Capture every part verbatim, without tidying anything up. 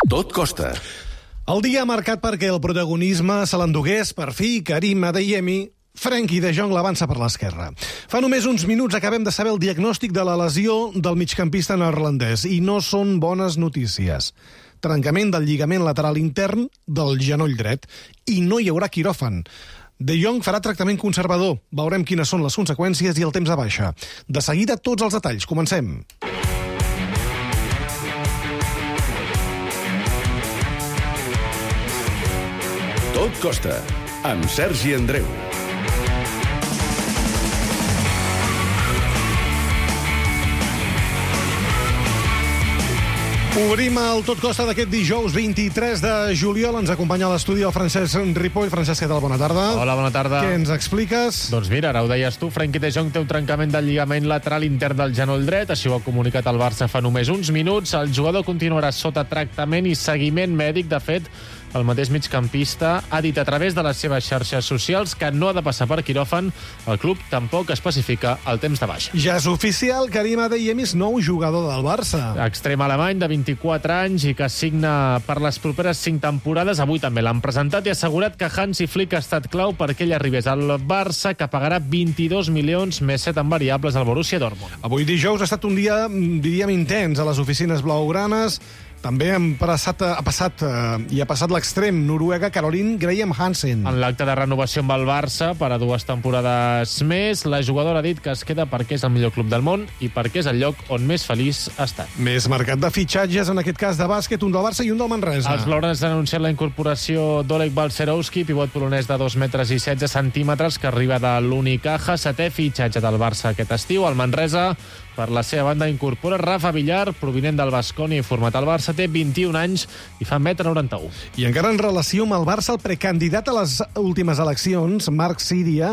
Tot costa. El dia marcat perquè el protagonisme se l'endugués, per fi, Karim Adeyemi. Frenkie de Jong l'avança per l'esquerra. Fa només uns minuts acabem de saber el diagnòstic de la lesió del migcampista neerlandès i no són bones notícies. Trencament del lligament lateral intern del genoll dret i no hi haurà quiròfan. De Jong farà tractament conservador. Veurem quines són les conseqüències i el temps de baixa. De seguida, tots els detalls. Comencem. Tot costa, amb Sergi Andreu. Obrim el Tot Costa d'aquest dijous vint-i-tres de juliol. Ens acompanya a l'estudi el Francesc Ripoll. Francesc, què tal? Bona tarda. Hola, bona tarda. Què ens expliques? Doncs mira, ara ho deies tu, Frenkie de Jong té un trencament del lligament lateral intern del genoll dret. Així ho ha comunicat el Barça fa només uns minuts. El jugador continuarà sota tractament i seguiment mèdic. De fet, el mateix migcampista ha dit a través de les seves xarxes socials que no ha de passar per quiròfan. El club tampoc especifica el temps de baixa. Ja és oficial, Karim Adeyemi és nou jugador del Barça. Extrem alemany de vint-i-quatre anys i que signa per les properes cinc temporades. Avui també l'han presentat i ha assegurat que Hansi Flick ha estat clau perquè ell arribés al Barça, que pagarà vint-i-dos milions més set en variables al Borussia Dortmund. Avui dijous ha estat un dia, diríem, intens a les oficines blaugranes. També han passat, ha passat eh, i ha passat l'extrem noruega Caroline Graham Hansen. En l'acte de renovació amb el Barça per a dues temporades més, la jugadora ha dit que es queda perquè és el millor club del món i perquè és el lloc on més feliç ha estat. Més mercat de fitxatges, en aquest cas de bàsquet, un del Barça i un del Manresa. Els blaugranes han anunciat la incorporació d'Oleg Balcerowski, pivot polonès de dos metres i setze centímetres, que arriba de l'Unicaja, setè fitxatge del Barça aquest estiu. El Manresa, per la seva banda, incorpora Rafa Villar, provinent del Baskonia i format al Barça, té vint-i-un anys i fa un metre noranta-u. I encara en relació amb el Barça, el precandidat a les últimes eleccions, Marc Síria,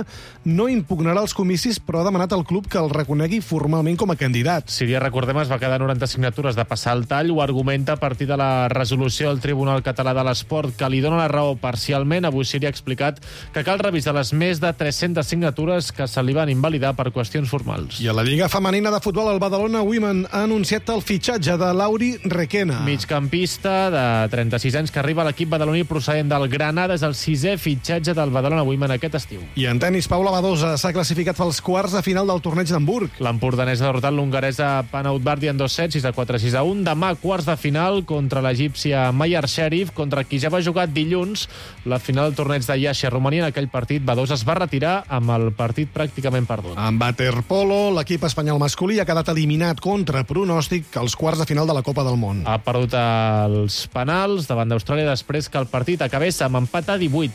no impugnarà els comicis, però ha demanat al club que el reconegui formalment com a candidat. Síria, recordem, es va quedar noranta signatures de passar el tall. Ho argumenta a partir de la resolució del Tribunal Català de l'Esport, que li dona la raó parcialment. Avui Síria ha explicat que cal revisar les més de tres-centes signatures que se li van invalidar per qüestions formals. I a la Lliga Femenina de Futbol, el Badalona Women ha anunciat el fitxatge de Lauri Requena. Migcampista de trenta-sis anys que arriba a l'equip badaloní procedent del Granada. És el sisè fitxatge del Badalona Women aquest estiu. I en tenis, Paula Badosa s'ha classificat pels quarts de final del torneig d'Hamburg. L'empordanès ha derrotat l'hongaresa Panaut Bardi en dos sets, sis a quatre, sis a un. Demà, quarts de final contra l'egípcia Mayar Sherif, contra qui ja va jugar dilluns la final del torneig de Iași a Romania. En aquell partit, Badosa es va retirar amb el partit pràcticament perdut. En waterpolo, l'equip espanyol masculí ha quedat eliminat contra pronòstic als quarts de final de la Copa del Món. Ha perdut els penals davant d'Austràlia després que el partit acabés amb empat a divuit.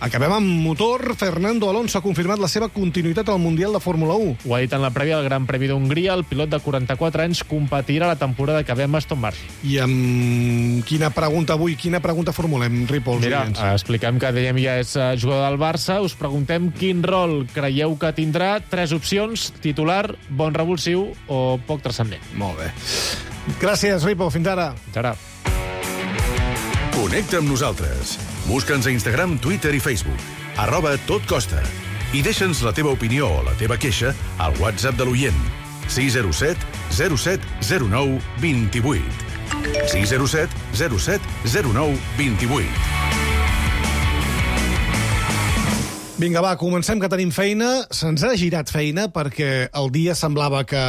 Acabem amb motor. Fernando Alonso ha confirmat la seva continuïtat al Mundial de Fórmula u. Ho ha dit en la prèvia del Gran Premi d'Hongria. El pilot de quaranta-quatre anys competirà la temporada que ve amb Aston Martin. I amb quina pregunta avui, quina pregunta formulem, Ripoll? Mira, expliquem que Adeyemi ja és jugador del Barça. Us preguntem quin rol creieu que tindrà. Tres opcions: titular, bon revulsiu o poc transcendent. Molt bé. Gràcies, Ripoll. Fins ara. Fins ara. Connecta amb nosaltres. Busca'ns a Instagram, Twitter i Facebook. Arroba Tot Costa. I deixa'ns la teva opinió o la teva queixa al WhatsApp de l'oient. sis zero set zero set zero nou dos vuit. sis zero set zero set zero nou dos vuit. Vinga, va, comencem, que tenim feina. Se'ns ha girat feina perquè el dia semblava que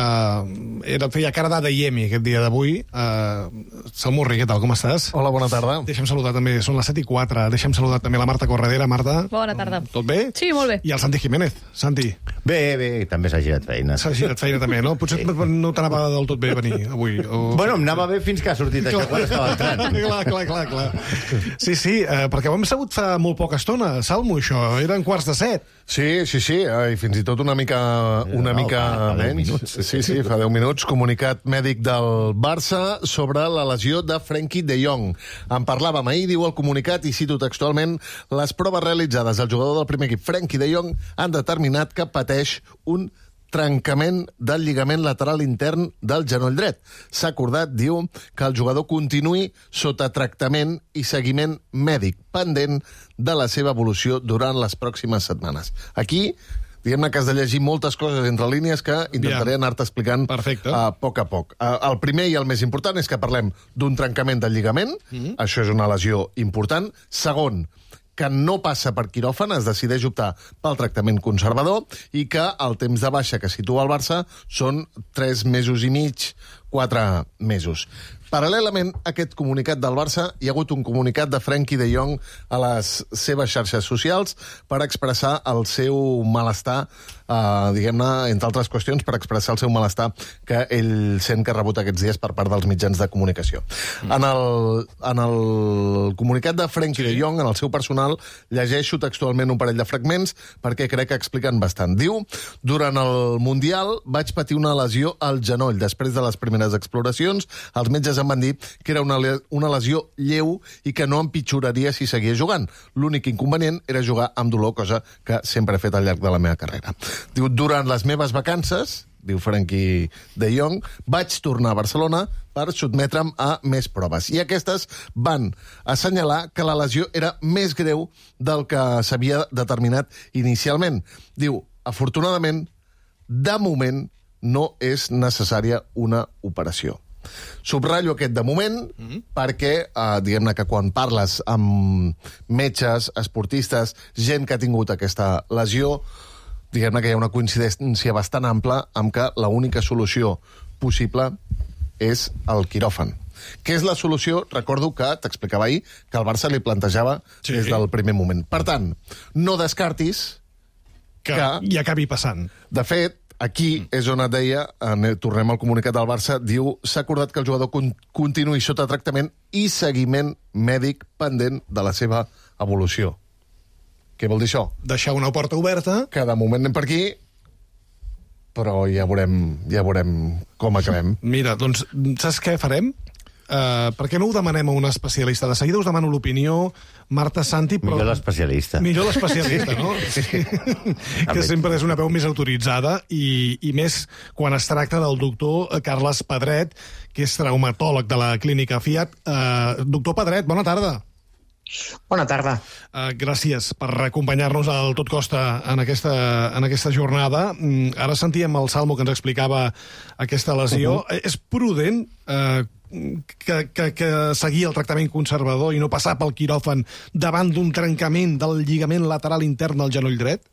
era, feia cara d'Adeyemi aquest dia d'avui. Uh, Salmurri, què tal, com estàs? Hola, bona tarda. Deixa'm saludar també, són les set i quatre, deixa'm saludar també la Marta Corredera. Marta. Bona tarda. Tot bé? Sí, molt bé. I el Santi Jiménez. Santi. Bé, bé, també s'ha girat feina. S'ha girat feina també, no? Potser sí. No t'anava del tot bé venir avui. O... Bueno, em anava bé fins que ha sortit això, quan estava entrant. clar, clar, clar, clar. Sí, sí, eh, perquè ho hem sabut fa molt poca estona, Salmo, això. Eren quarts de set. Sí, sí, sí, i fins i tot una mica, una No, mica fa- fa deu menys. minuts. Sí, sí, fa deu minuts. Comunicat mèdic del Barça sobre la lesió de Frenkie de Jong. En parlàvem ahir, diu el comunicat, i cito textualment: les proves realitzades al jugador del primer equip, Frenkie de Jong, han determinat que pateix un trencament del lligament lateral intern del genoll dret. S'ha acordat, diu, que el jugador continuï sota tractament i seguiment mèdic, pendent de la seva evolució durant les pròximes setmanes. Aquí diguem-ne que has de llegir moltes coses entre línies que intentaré Ja. anar-te explicant Perfecte. a poc a poc. Uh, el primer i el més important és que parlem d'un trencament del lligament, mm-hmm. Això és una lesió important. Segon, que no passa per quiròfan, es decideix optar pel tractament conservador i que el temps de baixa que situa el Barça són tres mesos i mig, quatre mesos. Paral·lelament a aquest comunicat del Barça, hi ha hagut un comunicat de Frenkie de Jong a les seves xarxes socials per expressar el seu malestar, eh, diguem-ne, entre altres qüestions, per expressar el seu malestar que ell sent que ha rebut aquests dies per part dels mitjans de comunicació. Mm. En, el, en el comunicat de Frenkie sí. de Jong, en el seu personal, llegeixo textualment un parell de fragments perquè crec que expliquen bastant. Diu, durant el Mundial vaig patir una lesió al genoll. Després de les primeres exploracions, els metges em van dir que era una, una lesió lleu i que no empitjoraria si seguia jugant. L'únic inconvenient era jugar amb dolor, cosa que sempre he fet al llarg de la meva carrera. Diu, durant les meves vacances, diu Frenkie de Jong, vaig tornar a Barcelona per sotmetre'm a més proves. I aquestes van assenyalar que la lesió era més greu del que s'havia determinat inicialment. Diu, afortunadament, de moment no és necessària una operació. Subratllo aquest de moment mm-hmm. perquè, eh, diguem-ne que quan parles amb metges, esportistes, gent que ha tingut aquesta lesió, diguem-ne que hi ha una coincidència bastant ampla amb que l'única solució possible és el quiròfan. Què és la solució? Recordo que t'explicava ahir que el Barça li plantejava sí. des del primer moment. Per tant, no descartis que, que hi acabi passant. De fet, aquí és on et deia, tornem al comunicat del Barça, diu, s'ha acordat que el jugador con continuï sota tractament i seguiment mèdic pendent de la seva evolució. Què vol dir això? Deixar una porta oberta. Que de moment anem per aquí, però ja veurem, ja veurem com acabem. Mira, doncs, saps què farem? Uh, per què no ho demanem a un especialista? De seguida us demano l'opinió, Marta Santi... Però... Millor l'especialista. Millor l'especialista, no? Sí. Que sempre és una veu més autoritzada i, i més quan es tracta del doctor Carles Pedret, que és traumatòleg de la clínica Fiat. Uh, doctor Pedret, bona tarda. Bona tarda. Uh, gràcies per acompanyar-nos al Tot Costa en aquesta, en aquesta jornada. Mm, ara sentíem el Salmo que ens explicava aquesta lesió. Uh-huh. És prudent uh, que, que, que seguir el tractament conservador i no passar pel quiròfan davant d'un trencament del lligament lateral intern del genoll dret?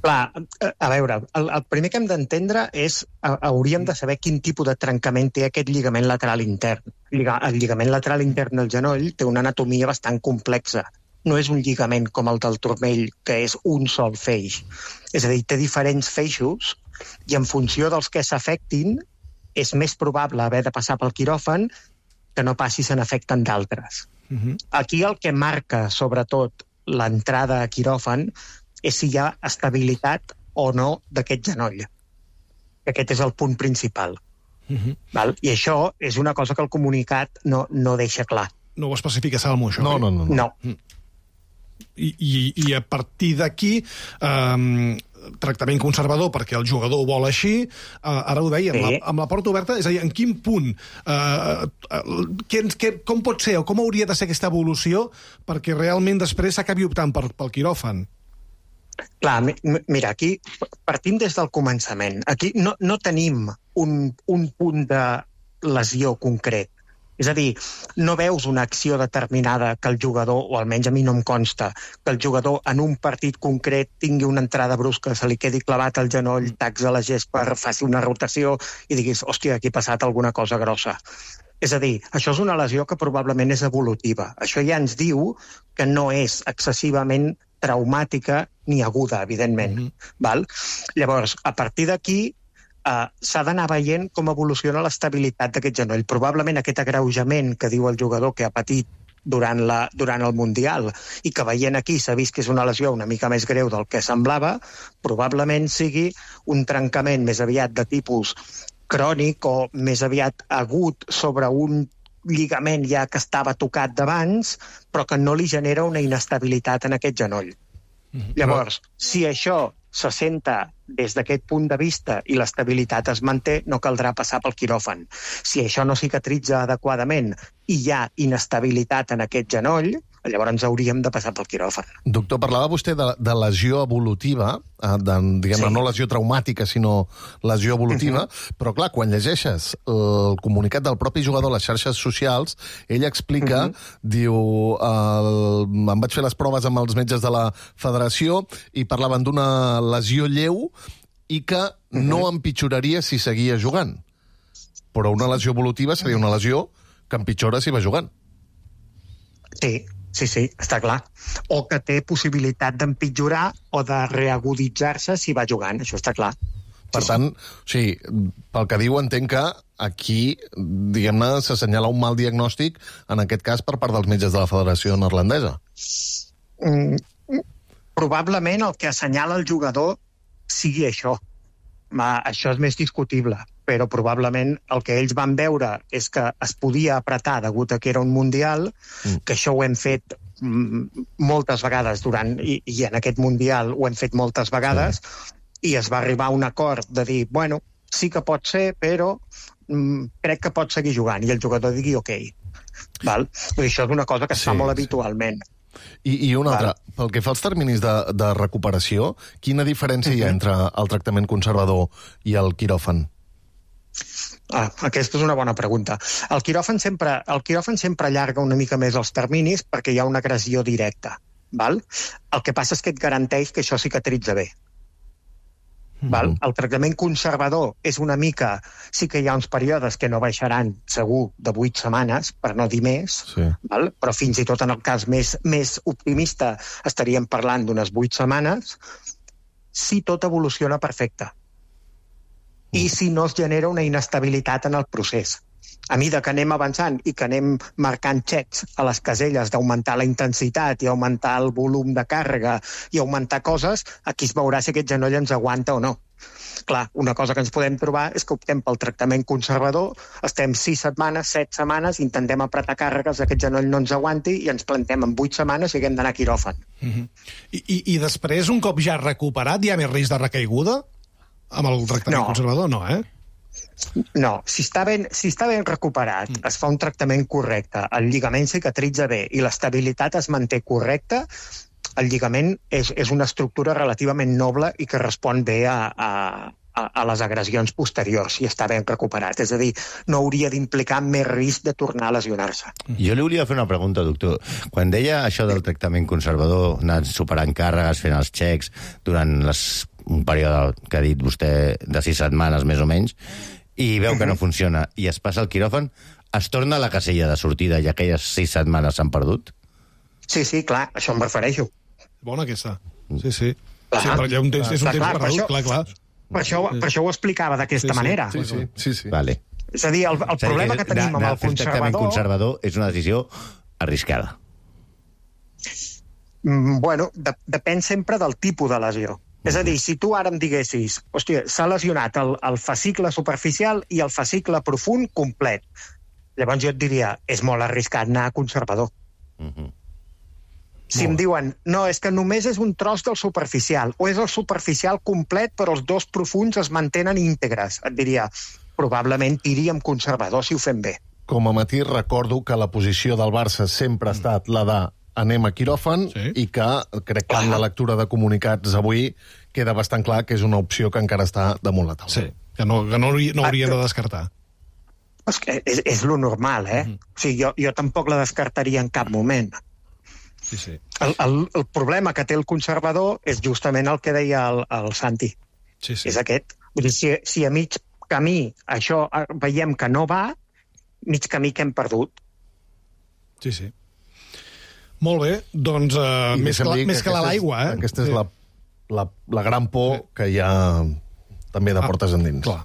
Clar, a veure, el, el primer que hem d'entendre és, hauríem de saber quin tipus de trencament té aquest lligament lateral intern. El lligament lateral intern del genoll té una anatomia bastant complexa. No és un lligament com el del turmell, que és un sol feix. És a dir, té diferents feixos i en funció dels que s'afectin és més probable haver de passar pel quiròfan que no passi se n'afecten d'altres. Uh-huh. Aquí el que marca, sobretot, l'entrada a quiròfan és si hi ha estabilitat o no d'aquest genoll. Aquest és el punt principal. Uh-huh. Val? I això és una cosa que el comunicat no, no deixa clar. No ho especifica Salmo, això? No, no, no. no. no. I, i, I a partir d'aquí, um, tractament conservador perquè el jugador ho vol així, uh, ara ho deia, sí. amb, la, amb la porta oberta, és a dir, en quin punt, uh, uh, que, que, com pot ser o com hauria de ser aquesta evolució perquè realment després s'acabi optant per, pel quiròfan? Clar, mira, aquí partim des del començament. Aquí no, no tenim un, un punt de lesió concret. És a dir, no veus una acció determinada que el jugador, o almenys a mi no em consta, que el jugador en un partit concret tingui una entrada brusca, se li quedi clavat al genoll, tacs a la gespa, faci una rotació i diguis, hòstia, aquí ha passat alguna cosa grossa. És a dir, això és una lesió que probablement és evolutiva. Això ja ens diu que no és excessivament traumàtica ni aguda, evidentment. Mm-hmm. Val? Llavors, a partir d'aquí, eh, s'ha d'anar veient com evoluciona l'estabilitat d'aquest genoll. Probablement aquest agreujament que diu el jugador que ha patit durant, la, durant el Mundial i que veient aquí s'ha vist que és una lesió una mica més greu del que semblava, probablement sigui un trencament més aviat de tipus crònic o més aviat agut sobre un lligament ja que estava tocat d'abans, però que no li genera una inestabilitat en aquest genoll. Mm-hmm. Llavors, si això se senta des d'aquest punt de vista i l'estabilitat es manté, no caldrà passar pel quiròfan. Si això no cicatritza adequadament i hi ha inestabilitat en aquest genoll, llavors hauríem de passar pel quiròfan. Doctor, parlava vostè de, de lesió evolutiva, de, diguem-ne, sí. no lesió traumàtica, sinó lesió evolutiva, uh-huh. però clar, quan llegeixes el comunicat del propi jugador a les xarxes socials, ell explica, uh-huh. diu, el, em vaig fer les proves amb els metges de la federació i parlaven d'una lesió lleu i que uh-huh. no empitjoraria si seguia jugant. Però una lesió evolutiva seria una lesió que empitjora si va jugant. Sí, sí, sí, està clar. O que té possibilitat d'empitjorar o de reaguditzar-se si va jugant, això està clar. Per sí, tant, o sigui, pel que diu, entenc que aquí, diguem-ne, s'assenyala un mal diagnòstic, en aquest cas, per part dels metges de la Federació Neerlandesa. Mm, probablement el que assenyala el jugador sigui això. Ma, això és més discutible, però probablement el que ells van veure és que es podia apretar degut a que era un mundial, mm. que això ho hem fet mm, moltes vegades durant, i, i en aquest mundial ho hem fet moltes vegades, sí. i es va arribar a un acord de dir, bueno, sí que pot ser, però mm, crec que pot seguir jugant, i el jugador digui ok. Val? I això és una cosa que es sí, fa molt sí. habitualment. I, i una altra, pel que fa als terminis de, de recuperació, quina diferència uh-huh. hi ha entre el tractament conservador i el quiròfan? Ah, aquesta és una bona pregunta. El quiròfan sempre, el quiròfan sempre allarga una mica més els terminis perquè hi ha una agressió directa. Val? El que passa és que et garanteix que això cicatritza bé. Val? El tractament conservador és una mica... Sí que hi ha uns períodes que no baixaran segur de vuit setmanes, per no dir més, sí. val? Però fins i tot en el cas més, més optimista estaríem parlant d'unes vuit setmanes, si tot evoluciona perfecte. I si no es genera una inestabilitat en el procés. A mesura que anem avançant i que anem marcant xecs a les caselles d'augmentar la intensitat i augmentar el volum de càrrega i augmentar coses, aquí es veurà si aquest genoll ens aguanta o no. Clar, una cosa que ens podem trobar és que optem pel tractament conservador, estem sis setmanes, set setmanes, intentem apretar càrregues, aquest genoll no ens aguanti i ens plantem en vuit setmanes i haguem d'anar a quiròfan. Uh-huh. I, i, I després, un cop ja recuperat, hi ha més risc de recaiguda? Amb el tractament no. conservador, no, eh? No, si està ben, si està ben recuperat, mm. es fa un tractament correcte, el lligament cicatritza bé i l'estabilitat es manté correcta, el lligament és, és una estructura relativament noble i que respon bé a, a, a les agressions posteriors si està ben recuperat. És a dir, no hauria d'implicar més risc de tornar a lesionar-se. Jo li volia fer una pregunta, doctor. Quan deia això del tractament conservador, anar superant càrregues, fent els xecs durant les, un període que ha dit vostè de sis setmanes més o menys, i veu que no funciona, i es passa al quiròfan, es torna a la casella de sortida i aquelles sis setmanes s'han perdut? Sí, sí, clar, això em refereixo. Bona aquesta. Sí, sí. Clar, sí perquè un temps, és un clar, temps clar, perdut, per clar, clar. Per això, per això ho explicava d'aquesta sí, sí, manera. Sí, sí, sí, sí. Vale. És a dir, el, el problema que, que tenim amb el conservador... conservador és una decisió arriscada. Mm, bueno, de, depèn sempre del tipus de lesió. És a dir, si tu ara em diguessis, hòstia, s'ha lesionat el, el fascicle superficial i el fascicle profund complet, llavors jo et diria, és molt arriscat anar a conservador. Uh-huh. Si em diuen, no, és que només és un tros del superficial, o és el superficial complet però els dos profunds es mantenen íntegres, et diria, probablement iríem conservador si ho fem bé. Com a matí recordo que la posició del Barça sempre ha estat la de anem a quiròfan, sí. i que crec que en la lectura de comunicats avui queda bastant clar que és una opció que encara està damunt la taula. Sí, que no, que no, no hauríem de descartar. És, que és, és lo normal, eh? Mm. O sigui, jo, jo tampoc la descartaria en cap moment. Sí, sí. El, el, el problema que té el conservador és justament el que deia el, el Santi. Sí, sí. És aquest. Vull dir, si, si a mig camí això veiem que no va, mig camí que hem perdut. Sí, sí. Molt bé, doncs uh, més, que, més que, que l'aigua, eh? Aquesta és sí. la, la, la gran por sí. que hi ha també de ah, portes endins. Clar,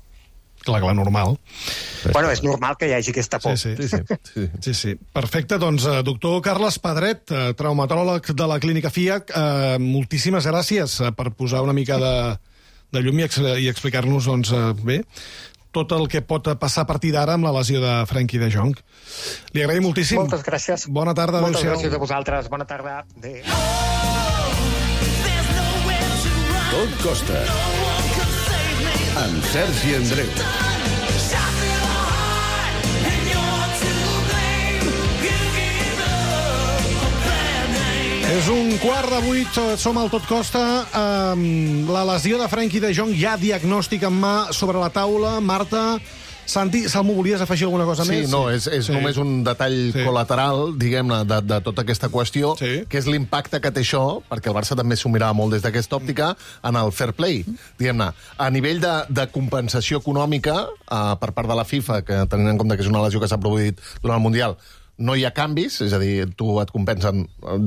clar, clar, normal. Bueno, és normal que hi hagi aquesta por. Sí, sí. Sí, sí. sí, sí, sí. Perfecte, doncs, doctor Carles Pedret, traumatòleg de la Clínica F I A C, eh, moltíssimes gràcies per posar una mica de, de llum i, ex i explicar-nos, doncs, eh, bé, tot el que pot passar a partir d'ara amb la lesió de Frenkie de Jong. Li agraïm moltíssim. Moltes gràcies. Bona tarda. Moltes gràcies a vosaltres. Bona tarda. Adéu. Tot costa. Amb Sergi Andreu. És un quart de vuit, som al Tot Costa. Um, la lesió de Frenkie de Jong, ja diagnòstic en mà sobre la taula. Marta, Santi, Salmo, volies afegir alguna cosa sí, més? No, és, és sí. només un detall sí. col·lateral, diguem-ne, de, de tota aquesta qüestió, sí. que és l'impacte que té això, perquè el Barça també s'ho mirava molt des d'aquesta òptica, en el fair play. Diguem-ne, a nivell de, de compensació econòmica, eh, per part de la FIFA, que tenint en compte que és una lesió que s'ha produït durant el Mundial, no hi ha canvis, és a dir, tu et compensen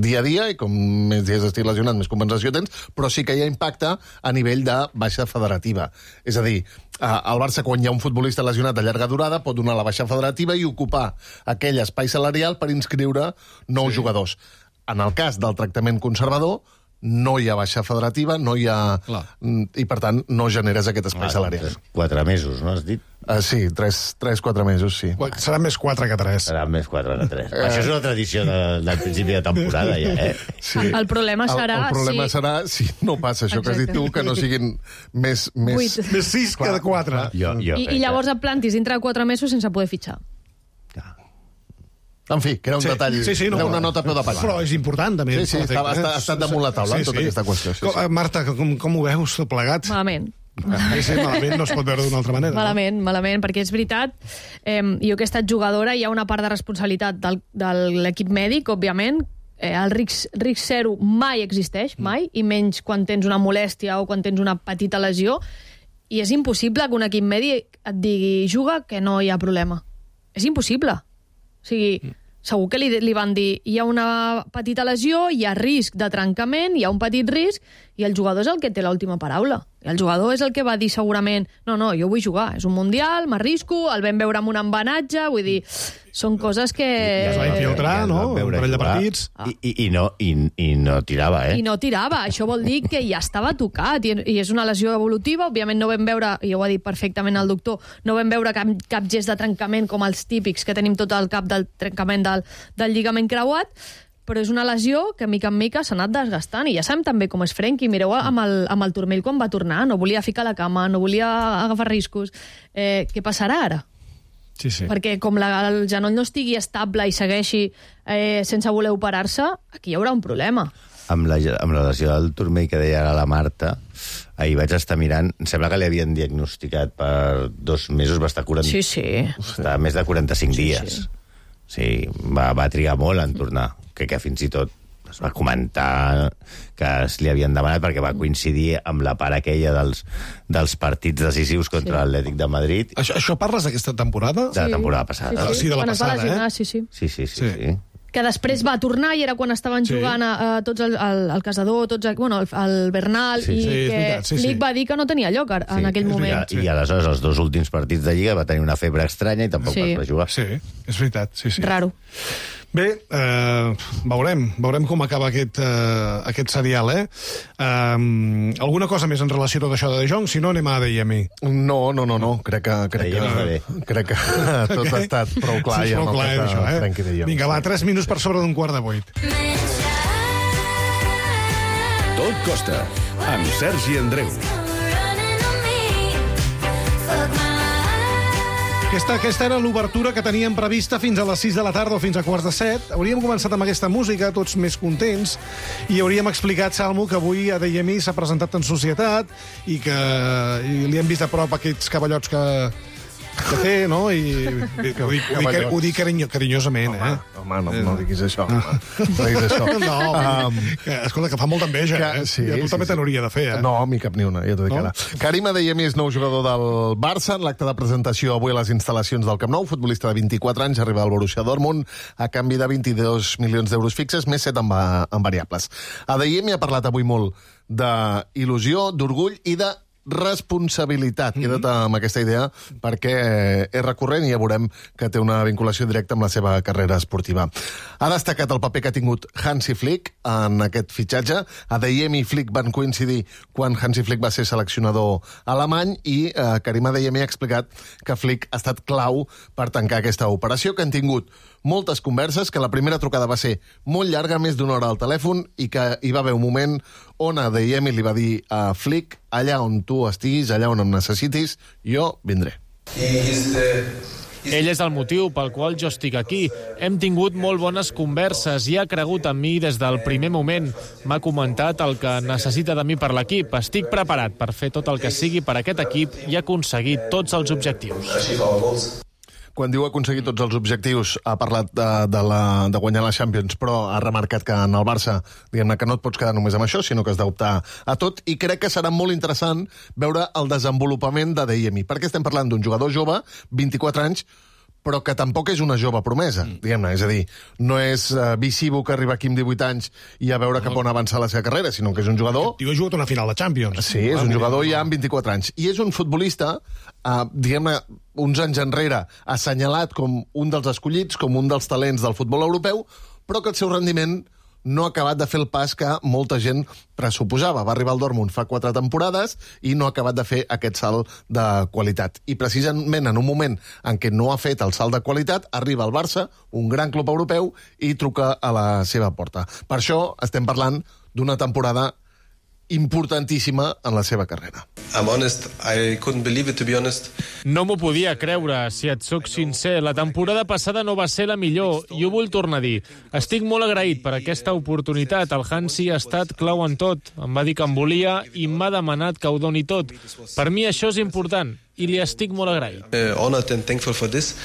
dia a dia i com més dies estic lesionat, més compensació tens, però sí que hi ha impacte a nivell de baixa federativa. És a dir, al Barça, quan hi ha un futbolista lesionat de llarga durada, pot donar la baixa federativa i ocupar aquell espai salarial per inscriure nous sí. jugadors. En el cas del tractament conservador, no hi ha baixa federativa, no hi ha... Clar. I, per tant, no generes aquest espai ah, salarial. Quatre mesos, no has dit? Uh, sí, tres, tres, quatre mesos, sí. Serà més quatre que tres. Serà més quatre que tres. Eh... Això és una tradició de, del principi de temporada, ja, eh? Sí. El, el problema serà... El, el problema sí. serà si no passa això Exacte. que has dit tu, que no siguin més... Més, més sis que de quatre. Jo, jo I, I llavors et plantis dintre de quatre mesos sense poder fitxar. En fi, que era un sí, detall, sí, sí, no, era una nota a peu de pàgina. Però és important, també. Sí, sí, està, està, ha estat damunt la taula, sí, tota sí. aquesta qüestió. Sí, com, sí. Marta, com, com ho veus, plegat? Malament. Sí, sí, malament no es pot veure d'una altra manera. Malament, no? malament, perquè és veritat, eh, jo que he estat jugadora, hi ha una part de responsabilitat del, de l'equip mèdic, òbviament, eh, el risc, risc zero mai existeix, mai, i menys quan tens una molèstia o quan tens una petita lesió, i és impossible que un equip mèdic et digui juga que no hi ha problema. És impossible. O sigui... Mm. Segur que li, li van dir hi ha una petita lesió, hi ha risc de trencament, hi ha un petit risc, i el jugador és el que té l'última paraula. I el jugador és el que va dir segurament no, no, jo vull jugar, és un mundial, m'arrisco, el vam veure amb un embenatge, vull dir, són coses que... I es va infiltrar, ja no? Un parell de partits. Ah. I, i, i, no, i, I no tirava, eh? I no tirava, això vol dir que ja estava tocat, i, i és una lesió evolutiva, òbviament no vam veure, i ho ha dit perfectament el doctor, no vam veure cap, cap gest de trencament com els típics que tenim tot el cap del trencament del, del lligament creuat, però és una lesió que mica en mica s'ha anat desgastant, i ja sabem també com és Frenkie, mireu amb el, amb el turmell quan va tornar, no volia ficar la cama, no volia agafar riscos. Eh, què passarà ara? Sí, sí. Perquè com la, el genoll no estigui estable i segueixi eh, sense voler operar-se, aquí hi haurà un problema. Amb la, amb la lesió del turmell que deia ara la Marta, ahir vaig estar mirant, em sembla que li havien diagnosticat per dos mesos, va estar quaranta... Sí, sí. Està més de quaranta-cinc sí, dies. Sí. Sí, va, va trigar molt en tornar, que, que fins i tot es va comentar que es li havien demanat perquè va coincidir amb la part aquella dels, dels partits decisius contra sí. l'Atlètic de Madrid. Això, això parles d'aquesta temporada? De la temporada passada. Sí, sí. sí de la quan passada, lesionar, eh? Sí, sí. Sí, sí, sí. sí. sí. Que després va tornar i era quan estaven sí. jugant a, a tots el, el, el Casador, tots, bueno, el, el Bernal, sí. i sí, que veritat, sí, Flick sí. va dir que no tenia lloc en sí, aquell moment. Veritat, sí. I aleshores els dos últims partits de Lliga va tenir una febre estranya i tampoc sí. va jugar. Sí, és veritat. Sí, sí. Raro. Bé, eh, veurem, veurem com acaba aquest, eh, aquest serial, eh? Um, alguna cosa més en relació a tot això de De Jong? Si no, anem a A D I M I. No, no, no, no. Crec que, crec que, crec que tot ha estat prou clar. Sí, ja prou clar, eh, això, eh? Frenkie de Jong. Vinga, va, tres minuts per sobre d'un quart de vuit. Tot Costa, amb Sergi Andreu. Aquesta, aquesta era l'obertura que teníem prevista fins a les sis de la tarda o fins a quarts de set. Hauríem començat amb aquesta música, tots més contents, i hauríem explicat, Salmo, que avui a D I M I s'ha presentat en societat i que i li hem vist a prop aquests cavallots que, que té, no? I ho dic, ho dic, ho dic carinyo, carinyosament, home, eh? Home, no, no diguis això. Home. No diguis això. No, um, que, escolta, que fa molta enveja, que, eh? Sí, I a tu sí, també sí. te n'hauria de fer, eh? No, a mi cap ni una, ja t'ho dic no? ara. Karim Adeyemi és nou jugador del Barça. En l'acte de presentació avui a les instal·lacions del Camp Nou, futbolista de vint-i-quatre anys, arriba al Borussia Dortmund a canvi de vint-i-dos milions d'euros fixes, més set en, va, en variables. Adeyemi ha parlat avui molt d'il·lusió, d'orgull i de responsabilitat. Mm-hmm. Queda't amb aquesta idea perquè és recurrent i ja veurem que té una vinculació directa amb la seva carrera esportiva. Ha destacat el paper que ha tingut Hansi Flick en aquest fitxatge. Adeyemi i Flick van coincidir quan Hansi Flick va ser seleccionador alemany i eh, Karim Adeyemi ha explicat que Flick ha estat clau per tancar aquesta operació, que han tingut moltes converses, que la primera trucada va ser molt llarga, més d'una hora al telèfon, i que hi va haver un moment on Adeyemi li va dir a Flick: allà on tu estiguis, allà on em necessitis, jo vindré. He is the Ell és el motiu pel qual jo estic aquí. Hem tingut molt bones converses i ha cregut en mi des del primer moment. M'ha comentat el que necessita de mi per l'equip. Estic preparat per fer tot el que sigui per aquest equip i aconseguir tots els objectius. Quan diu aconseguir tots els objectius, ha parlat de, de, la, de guanyar la Champions, però ha remarcat que en el Barça, diguem-ne que no et pots quedar només amb això, sinó que has d'optar a tot, i crec que serà molt interessant veure el desenvolupament de Adeyemi, perquè estem parlant d'un jugador jove, vint-i-quatre anys, però que tampoc és una jove promesa, diguem-ne. És a dir, no és uh, visivo que arriba aquí amb divuit anys i a veure cap on avançar la seva carrera, sinó que és un jugador... Tio ha jugat una final de Champions. Sí, és un jugador ja amb vint-i-quatre anys. I és un futbolista, uh, diguem-ne, uns anys enrere, assenyalat com un dels escollits, com un dels talents del futbol europeu, però que el seu rendiment no ha acabat de fer el pas que molta gent pressuposava. Va arribar al Dortmund fa quatre temporades i no ha acabat de fer aquest salt de qualitat. I precisament en un moment en què no ha fet el salt de qualitat, arriba al Barça, un gran club europeu, i truca a la seva porta. Per això estem parlant d'una temporada importantíssima en la seva carrera. I'm honest, I couldn't believe it, to be honest. No m'ho podia creure, si et soc sincer. La temporada passada no va ser la millor, i ho vull tornar a dir. Estic molt agraït per aquesta oportunitat. El Hansi ha estat clau en tot. Em va dir que em volia i m'ha demanat que ho doni tot. Per mi això és important, i li estic molt agraït. Uh, honored and thankful for this.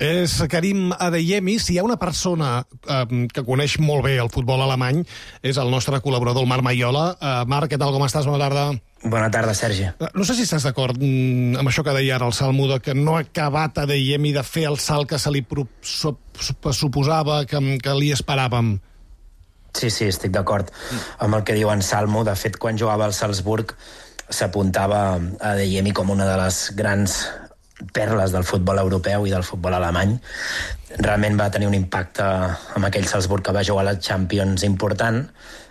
És Karim Adeyemi. Si hi ha una persona eh, que coneix molt bé el futbol alemany, és el nostre col·laborador, el Marc Maiola. Eh, Marc, què tal, com estàs? Bona tarda. Bona tarda, Sergi. No sé si estàs d'acord mm, amb això que deia ara el Salmo, de que no ha acabat Adeyemi de fer el salt que se li pro suposava, que, que li esperàvem. Sí, sí, estic d'acord amb el que diu en Salmo. De fet, quan jugava al Salzburg s'apuntava a Adeyemi com una de les grans perles del futbol europeu i del futbol alemany. Realment va tenir un impacte amb aquell Salzburg que va jugar a la Champions important,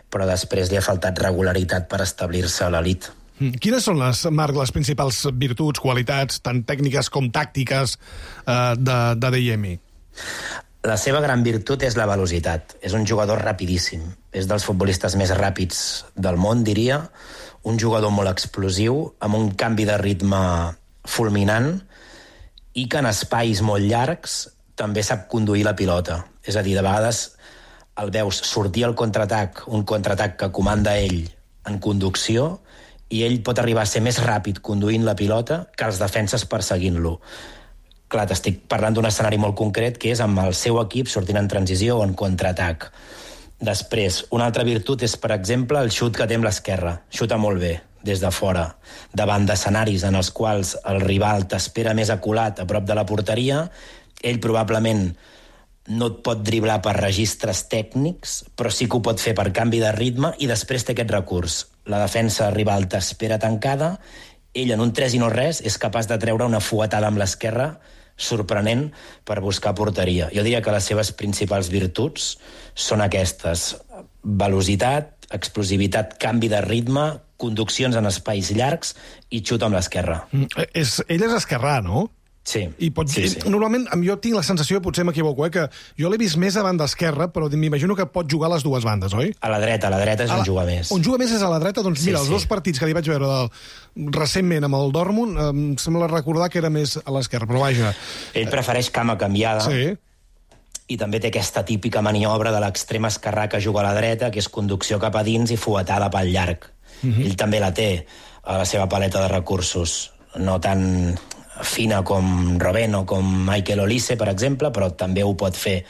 però després li ha faltat regularitat per establir-se a l'elit. Quines són, les, Marc, les principals virtuts, qualitats, tant tècniques com tàctiques, eh, d'Adeyemi? La seva gran virtut és la velocitat. És un jugador rapidíssim. És dels futbolistes més ràpids del món, diria. Un jugador molt explosiu, amb un canvi de ritme fulminant, i que en espais molt llargs també sap conduir la pilota. És a dir, de vegades el veus sortir al contraatac, un contraatac que comanda ell en conducció, i ell pot arribar a ser més ràpid conduint la pilota que els defenses perseguint-lo. Clar, t'estic parlant d'un escenari molt concret, que és amb el seu equip sortint en transició o en contraatac. Després, una altra virtut és, per exemple, el xut que té amb l'esquerra. Xuta molt bé, des de fora, davant d'escenaris en els quals el rival t'espera més aculat a prop de la porteria. Ell probablement no et pot driblar per registres tècnics, però sí que ho pot fer per canvi de ritme, i després té aquest recurs. La defensa rival t'espera tancada, ell en un tres i no res és capaç de treure una fuetada amb l'esquerra sorprenent per buscar porteria. Jo diria que les seves principals virtuts són aquestes: velocitat, explosivitat, canvi de ritme, conduccions en espais llargs i xut amb l'esquerra. Mm, és, ell és esquerrà, no? Sí. I pot, sí, sí. Normalment, jo tinc la sensació, potser m'equivoco, eh, que jo l'he vist més a banda esquerra, però m'imagino que pot jugar a les dues bandes, oi? A la dreta, a la dreta és on juga més. On juga més és a la dreta? Doncs mira, sí, els sí. dos partits que li vaig veure del, recentment amb el Dortmund, em sembla recordar que era més a l'esquerra, però vaja... Ell prefereix cama canviada. Sí. I també té aquesta típica maniobra de l'extrem esquerrà que juga a la dreta, que és conducció cap a dins i fuetada pel llarg. Uh-huh. Ell també la té a la seva paleta de recursos. No tan fina com Robben o com Michael Olise, per exemple, però també ho pot fer.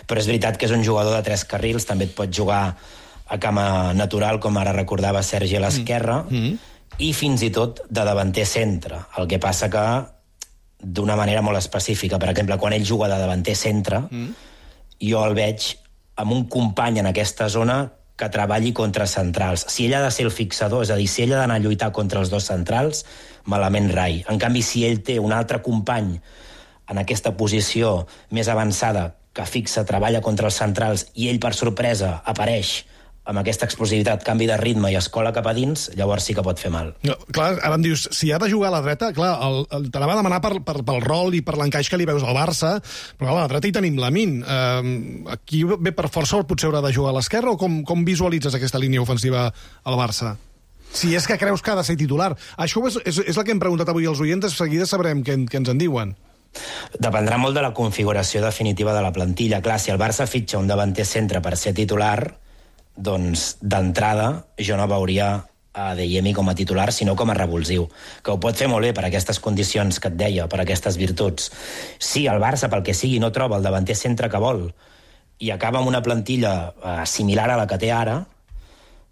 Però és veritat que és un jugador de tres carrils, també et pot jugar a cama natural, com ara recordava Sergi, a l'esquerra, mm-hmm. i fins i tot de davanter centre. El que passa que d'una manera molt específica. Per exemple, quan ell juga de davanter centre, mm. jo el veig amb un company en aquesta zona que treballi contra centrals. Si ell ha de ser el fixador, és a dir, si ell ha d'anar a lluitar contra els dos centrals, malament rai. En canvi, si ell té un altre company en aquesta posició més avançada que fixa, treballa contra els centrals, i ell, per sorpresa, apareix amb aquesta explosivitat, canvi de ritme i escola cap a dins, llavors sí que pot fer mal. No, clar, ara em dius, si ha de jugar a la dreta, clar, el, el, te la va demanar per, per, pel rol i per l'encaix que li veus al Barça, però clar, a la dreta hi tenim Lamine. Uh, aquí ve per força, potser haurà de jugar a l'esquerra, o com, com visualitzes aquesta línia ofensiva al Barça? Si és que creus que ha de ser titular. Això és, és, és el que hem preguntat avui als oients, de seguida sabrem què, què ens en diuen. Dependrà molt de la configuració definitiva de la plantilla. Clar, si el Barça fitxa un davanter centre per ser titular, doncs d'entrada jo no veuria a Adeyemi com a titular, sinó com a revulsiu, que ho pot fer molt bé per aquestes condicions que et deia, per aquestes virtuts. Si el Barça, pel que sigui, no troba el davanter centre que vol i acaba amb una plantilla eh, similar a la que té ara,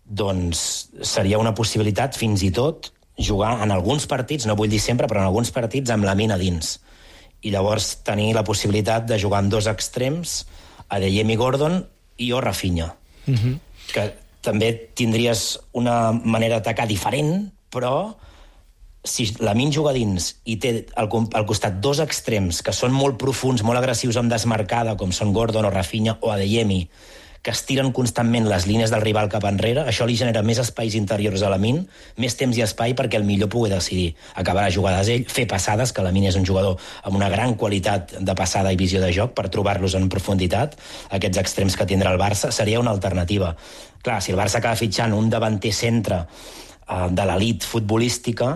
doncs seria una possibilitat fins i tot jugar en alguns partits, no vull dir sempre, però en alguns partits amb la mina dins. I llavors tenir la possibilitat de jugar amb dos extrems, Adeyemi, Gordon i o Rafinha. Uh-huh. Que també tindries una manera d'atacar diferent, però si Lamine juga dins i té al, al costat dos extrems que són molt profuns, molt agressius amb desmarcada, com són Gordon o Rafinha o Adeyemi, que estiren constantment les línies del rival cap enrere, això li genera més espais interiors a Lamine, més temps i espai perquè el millor pugui decidir acabar les jugades ell, fer passades, que Lamine és un jugador amb una gran qualitat de passada i visió de joc per trobar-los en profunditat. Aquests extrems que tindrà el Barça seria una alternativa. Clar, si el Barça acaba fitxant un davanter centre eh, de l'elit futbolística,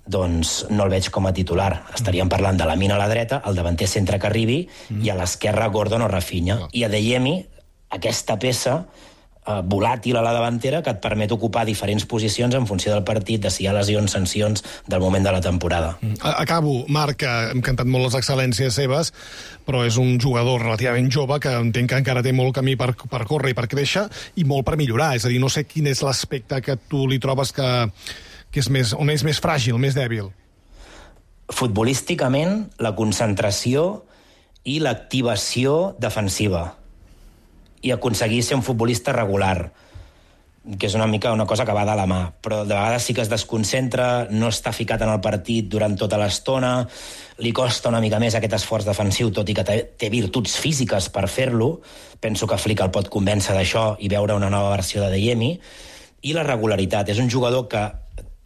doncs no el veig com a titular. Estaríem parlant de Lamine a la dreta, el davanter centre que arribi, mm. i a l'esquerra Gordon o Rafinha. I Adeyemi, aquesta peça eh, volàtil a la davantera que et permet ocupar diferents posicions en funció del partit, de si hi ha lesions, sancions, del moment de la temporada. Acabo, Marc, hem cantat molt les excel·lències seves, però és un jugador relativament jove que entenc que encara té molt camí per, per córrer i per créixer i molt per millorar. És a dir, no sé quin és l'aspecte que tu li trobes que, que és més, on és més fràgil, més dèbil. Futbolísticament, la concentració i l'activació defensiva. I aconseguir ser un futbolista regular, que és una mica una cosa que va de la mà, però de vegades sí que es desconcentra, no està ficat en el partit durant tota l'estona, li costa una mica més aquest esforç defensiu, tot i que té virtuts físiques per fer-lo. Penso que Flick el pot convèncer d'això i veure una nova versió de Adeyemi. I la regularitat. És un jugador que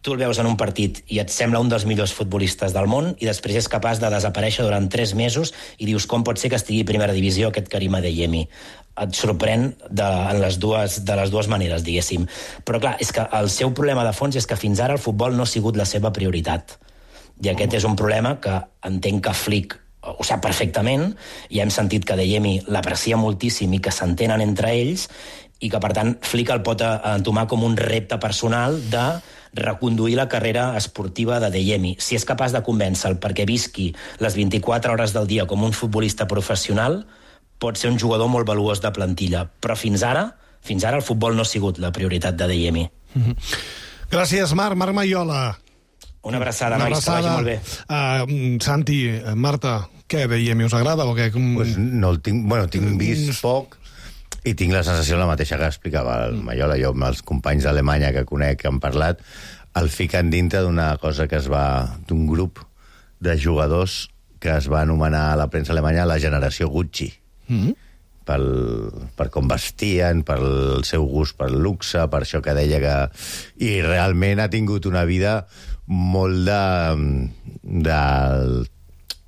tu el veus en un partit i et sembla un dels millors futbolistes del món i després és capaç de desaparèixer durant tres mesos i dius com pot ser que estigui a primera divisió aquest Karim Adeyemi. Et sorprèn de, en les dues, de les dues maneres, diguéssim. Però clar, és que el seu problema de fons és que fins ara el futbol no ha sigut la seva prioritat. I aquest és un problema que entenc que Flick ho sap perfectament, i hem sentit que Adeyemi l'aprecia moltíssim i que s'entenen entre ells, i que, per tant, Flick el pot entomar com un repte personal de reconduir la carrera esportiva d'Adeyemi. Si és capaç de convèncer-lo perquè visqui les vint-i-quatre hores del dia com un futbolista professional, pot ser un jugador molt valuós de plantilla. Però fins ara, fins ara el futbol no ha sigut la prioritat d'Adeyemi. Mm-hmm. Gràcies, Marc. Marc Maiola. Una abraçada, Una nois, abraçada. Que vagi molt bé. Uh, Santi, Marta, què, Adeyemi, us agrada o què? Com... Pues no el tinc, bueno, tinc vist poc, i tinc la sensació la mateixa que explicava el Maiola. Jo amb els companys d'Alemanya que conec, que han parlat, el fiquen dintre d'una cosa que es va... d'un grup de jugadors que es va anomenar a la premsa alemanya la generació Gucci. Mm-hmm. Pel, per com vestien, pel seu gust pel luxe, per això que deia que... I realment ha tingut una vida molt de... de,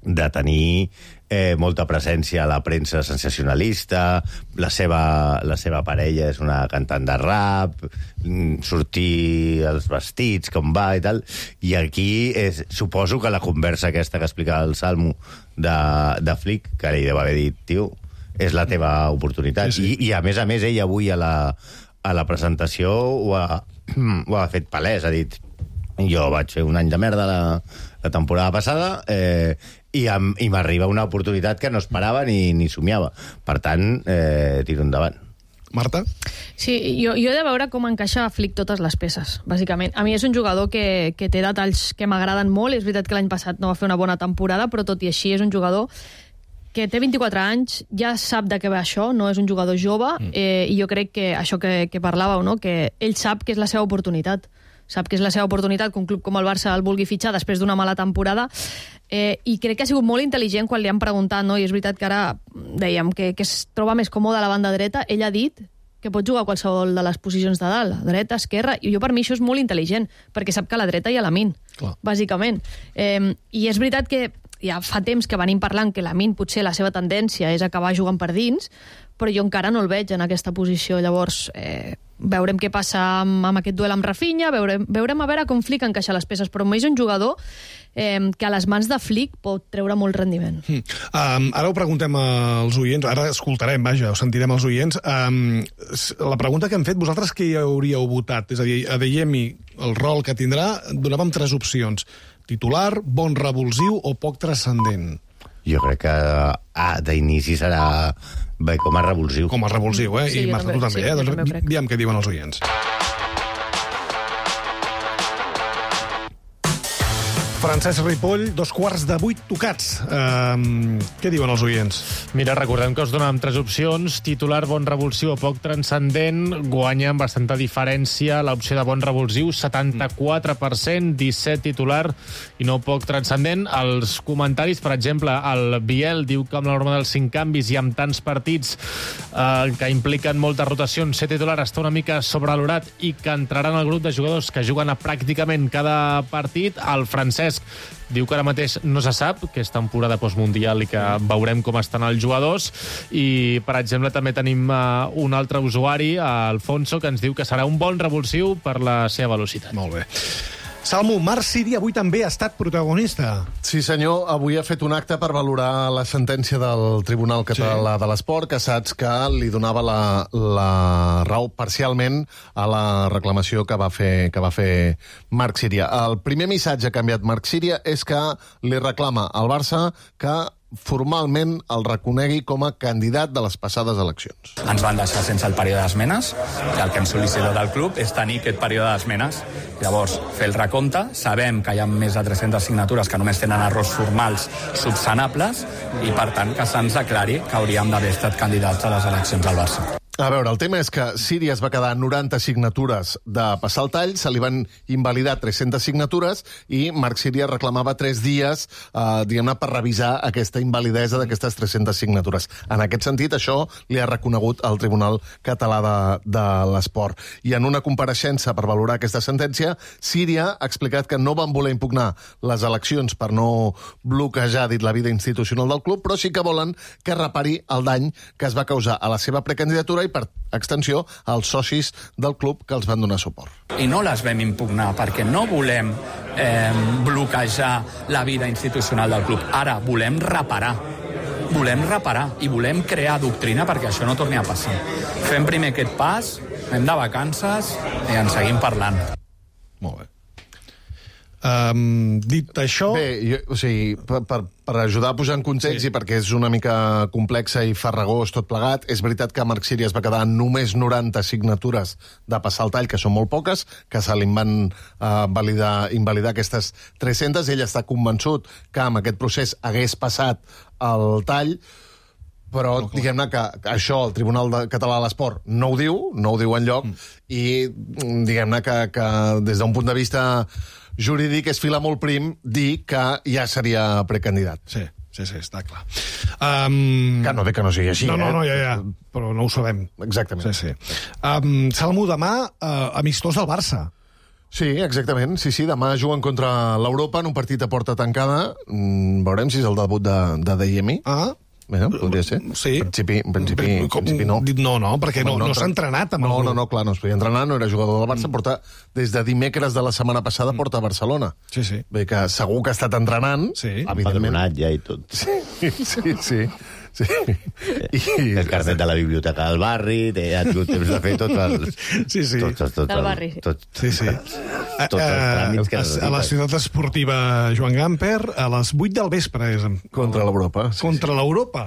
de tenir eh, molta presència a la premsa sensacionalista, la seva, la seva parella és una cantant de rap, sortir els vestits, com va i tal, i aquí és, suposo que la conversa aquesta que explicava el Salmo de, de Flick, que li deu haver dit, tio, és la teva oportunitat. Sí, sí. I, I a més a més ell avui a la, a la presentació ho ha, ho ha fet palès, ha dit jo vaig fer un any de merda la, la temporada passada eh, i, am, i m'arriba una oportunitat que no esperava ni, ni somiava. Per tant, eh, tiro endavant. Marta? Sí, jo, jo he de veure com encaixa a Flick totes les peces, bàsicament. A mi és un jugador que, que té detalls que m'agraden molt. És veritat que l'any passat no va fer una bona temporada, però tot i així és un jugador que té vint-i-quatre anys, ja sap de què va això, no és un jugador jove, eh, i jo crec que això que, que parlàveu, no? Que ell sap que és la seva oportunitat. Sap que és la seva oportunitat que un club com el Barça el vulgui fitxar després d'una mala temporada, eh, i crec que ha sigut molt intel·ligent quan li han preguntat, no? I és veritat que ara dèiem que, que es troba més còmode a la banda dreta. Ell ha dit que pot jugar a qualsevol de les posicions de dalt, dreta, esquerra, i jo per mi això és molt intel·ligent, perquè sap que a la dreta hi ha Lamine, bàsicament. Eh, I és veritat que ja fa temps que venim parlant que Lamine potser la seva tendència és acabar jugant per dins, però jo encara no el veig en aquesta posició. Llavors, eh, veurem què passa amb, amb aquest duel amb Rafinha, veurem, veurem a veure com Flick encaixa les peces, però és un jugador eh, que a les mans de Flick pot treure molt rendiment. Mm. Um, ara ho preguntem als oients, ara escoltarem, vaja, ho sentirem als oients. Um, la pregunta que hem fet, vosaltres què hi hauríeu votat? És a dir, Adeyemi, el rol que tindrà, donàvem tres opcions. Titular, bon revulsiu o poc transcendent? Jo crec que ah, d'inici serà bé com a revulsiu. Com a revulsiu, eh? Sí, I Marta, tu també, sí, eh? també Doncs crec. diguem què diuen els oients. Francesc Ripoll, dos quarts de vuit tocats. Um, què diuen els oients? Mira, recordem que us donàvem tres opcions. Titular, bon revulsiu o poc transcendent. Guanya amb bastanta diferència l'opció de bon revulsiu, setanta-quatre per cent, disset titular i no poc transcendent. Els comentaris, per exemple, el Biel diu que amb la norma dels cinc canvis i amb tants partits eh, que impliquen moltes rotacions, ser titular està una mica sobrevalorat i que entraran al grup de jugadors que juguen a pràcticament cada partit. El Francesc diu que ara mateix no se sap, que és temporada postmundial i que veurem com estan els jugadors. I, per exemple, també tenim uh, un altre usuari, uh, Alfonso, que ens diu que serà un bon revulsiu per la seva velocitat. Molt bé. Salmo, Marc Siri avui també ha estat protagonista. Sí, senyor. Avui ha fet un acte per valorar la sentència del Tribunal Català sí. de l'Esport, que saps que li donava la, la raó parcialment a la reclamació que va fer, que va fer Marc Síria. El primer missatge que ha enviat Marc Síria és que li reclama al Barça que formalment el reconegui com a candidat de les passades eleccions. Ens van deixar sense el període d'esmenes i el que hem sol·licitat al club és tenir aquest període d'esmenes. Llavors, fer el recompte, sabem que hi ha més de tres-centes signatures que només tenen errors formals subsanables i, per tant, que se'ns aclari que hauríem d'haver estat candidats a les eleccions al Barça. A veure, el tema és que Síria es va quedar noranta signatures de passar el tall, se li van invalidar tres-centes signatures i Marc Síria reclamava tres dies, eh, diguem-ne, per revisar aquesta invalidesa d'aquestes tres-centes signatures. En aquest sentit, això li ha reconegut el Tribunal Català de, de l'Esport. I en una compareixença per valorar aquesta sentència, Síria ha explicat que no van voler impugnar les eleccions per no bloquejar, dit, la vida institucional del club, però sí que volen que repari el dany que es va causar a la seva precandidatura i, per extensió, als socis del club que els van donar suport. I no les vam impugnar perquè no volem eh, bloquejar la vida institucional del club. Ara volem reparar. Volem reparar i volem crear doctrina perquè això no torni a passar. Fem primer aquest pas, anem de vacances i en seguim parlant. Molt bé. Um, dit això... Bé, jo, o sigui, per, per, per ajudar a posar en context sí. i perquè és una mica complexa i farragós tot plegat, és veritat que Marc Síria es va quedar només noranta signatures de passar el tall, que són molt poques, que se li van uh, validar, invalidar aquestes tres-centes. Ell està convençut que amb aquest procés hagués passat el tall, però no, diguem-ne que això el Tribunal de Català de l'Esport no ho diu, no ho diu enlloc, mm. i diguem-ne que, que des d'un punt de vista jurídic és fila molt prim dir que ja seria precandidat. Sí, sí, sí, està clar. Um... Que no ve que no sigui així, no, eh? No, no, ja, ja, però no ho sabem. Exactament. Sí, sí. Um, Salmo, demà, uh, amistós del Barça. Sí, exactament. Sí, sí, demà juguen contra l'Europa en un partit a porta tancada. Mm, veurem si és el debut de, de Adeyemi. Ah, Bé, podria ser. Sí. En principi, en principi, en Com, principi no. No, no, perquè no, no, no s'ha entrenat amb no, el grup. No, no, clar, no es podia entrenar, no era jugador del Barça, mm. porta, des de dimecres de la setmana passada porta a Barcelona. Sí, sí. Bé, que segur que ha estat entrenant, sí. evidentment. Padronat ja i tot. Sí, sí, sí. sí. I... El carnet de la biblioteca del barri, ha tingut temps de fer tots els... Sí, sí. Tots, tots, tots, del barri. Tots, sí, sí. Tots els tràmits que a, a la ciutat esportiva Joan Gamper, a les vuit del vespre. És... Contra l'Europa. Sí, Contra sí. l'Europa.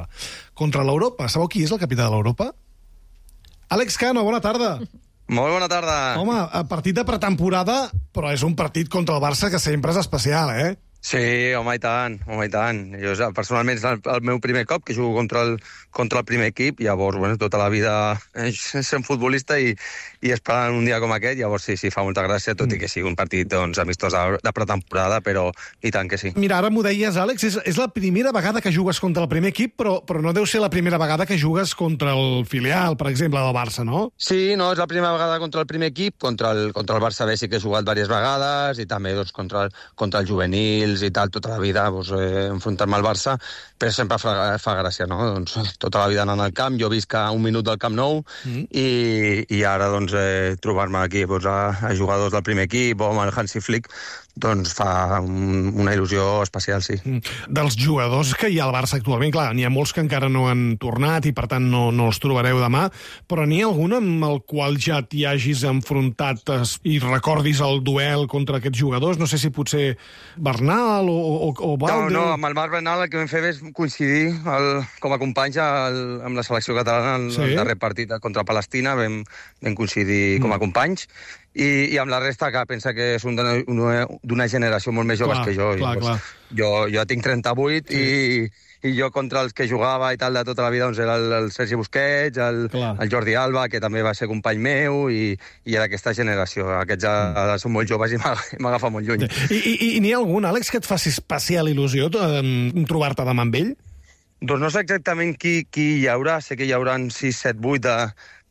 Contra l'Europa. Sabeu qui és el capità de l'Europa? Àlex Cano, bona tarda. Molt bona tarda. Home, partit de pretemporada, però és un partit contra el Barça que sempre és especial, eh? Sí, home, i tant, home, i tant. Jo, personalment, és el, el meu primer cop que jugo contra el, contra el primer equip, llavors, bueno, tota la vida eh, sent futbolista i, i esperant un dia com aquest, llavors sí, sí, fa molta gràcia, tot mm. i que sigui un partit, doncs, amistós de, de pretemporada, però i tant que sí. Mira, ara m'ho deies, Àlex, és, és la primera vegada que jugues contra el primer equip, però, però no deu ser la primera vegada que jugues contra el filial, per exemple, del Barça, no? Sí, no, és la primera vegada contra el primer equip, contra el, contra el Barça B sí que he jugat diverses vegades, i també, doncs, contra el, contra el juvenil, ells i tal, tota la vida, doncs, eh, enfrontar-me al Barça, però sempre fa, fa gràcia, no? Doncs, tota la vida anant al camp, jo visc a un minut del Camp Nou, mm. i, i ara doncs, eh, trobar-me aquí doncs, a, a jugadors del primer equip o amb el Hansi Flick, doncs fa un, una il·lusió especial, sí. Mm. Dels jugadors que hi ha al Barça actualment, clar, n'hi ha molts que encara no han tornat i per tant no, no els trobareu demà, però n'hi ha algun amb el qual ja t'hi hagis enfrontat i recordis el duel contra aquests jugadors? No sé si potser Bernal o, o, o Valde... No, no, amb el Marc Bernal el que vam fer és coincidir el, com a companys el, amb la selecció catalana el, sí. el darrer partit contra Palestina, vam, vam coincidir mm. com a companys, i, i amb la resta que pensa que són d'una generació molt més joves clar, que jo. Clar, I, clar. Doncs, jo. Jo tinc trenta-vuit sí. i, i jo contra els que jugava i tal de tota la vida doncs era el, el Sergi Busquets, el, el Jordi Alba, que també va ser company meu, i, i era aquesta generació. Aquests ja mm. són molt joves i m'agafa molt lluny. I, i, i n'hi ha algun, Àlex, que et faci especial il·lusió trobar-te demà amb ell? Doncs no sé exactament qui, qui hi haurà. Sé que hi haurà sis, set, vuit de,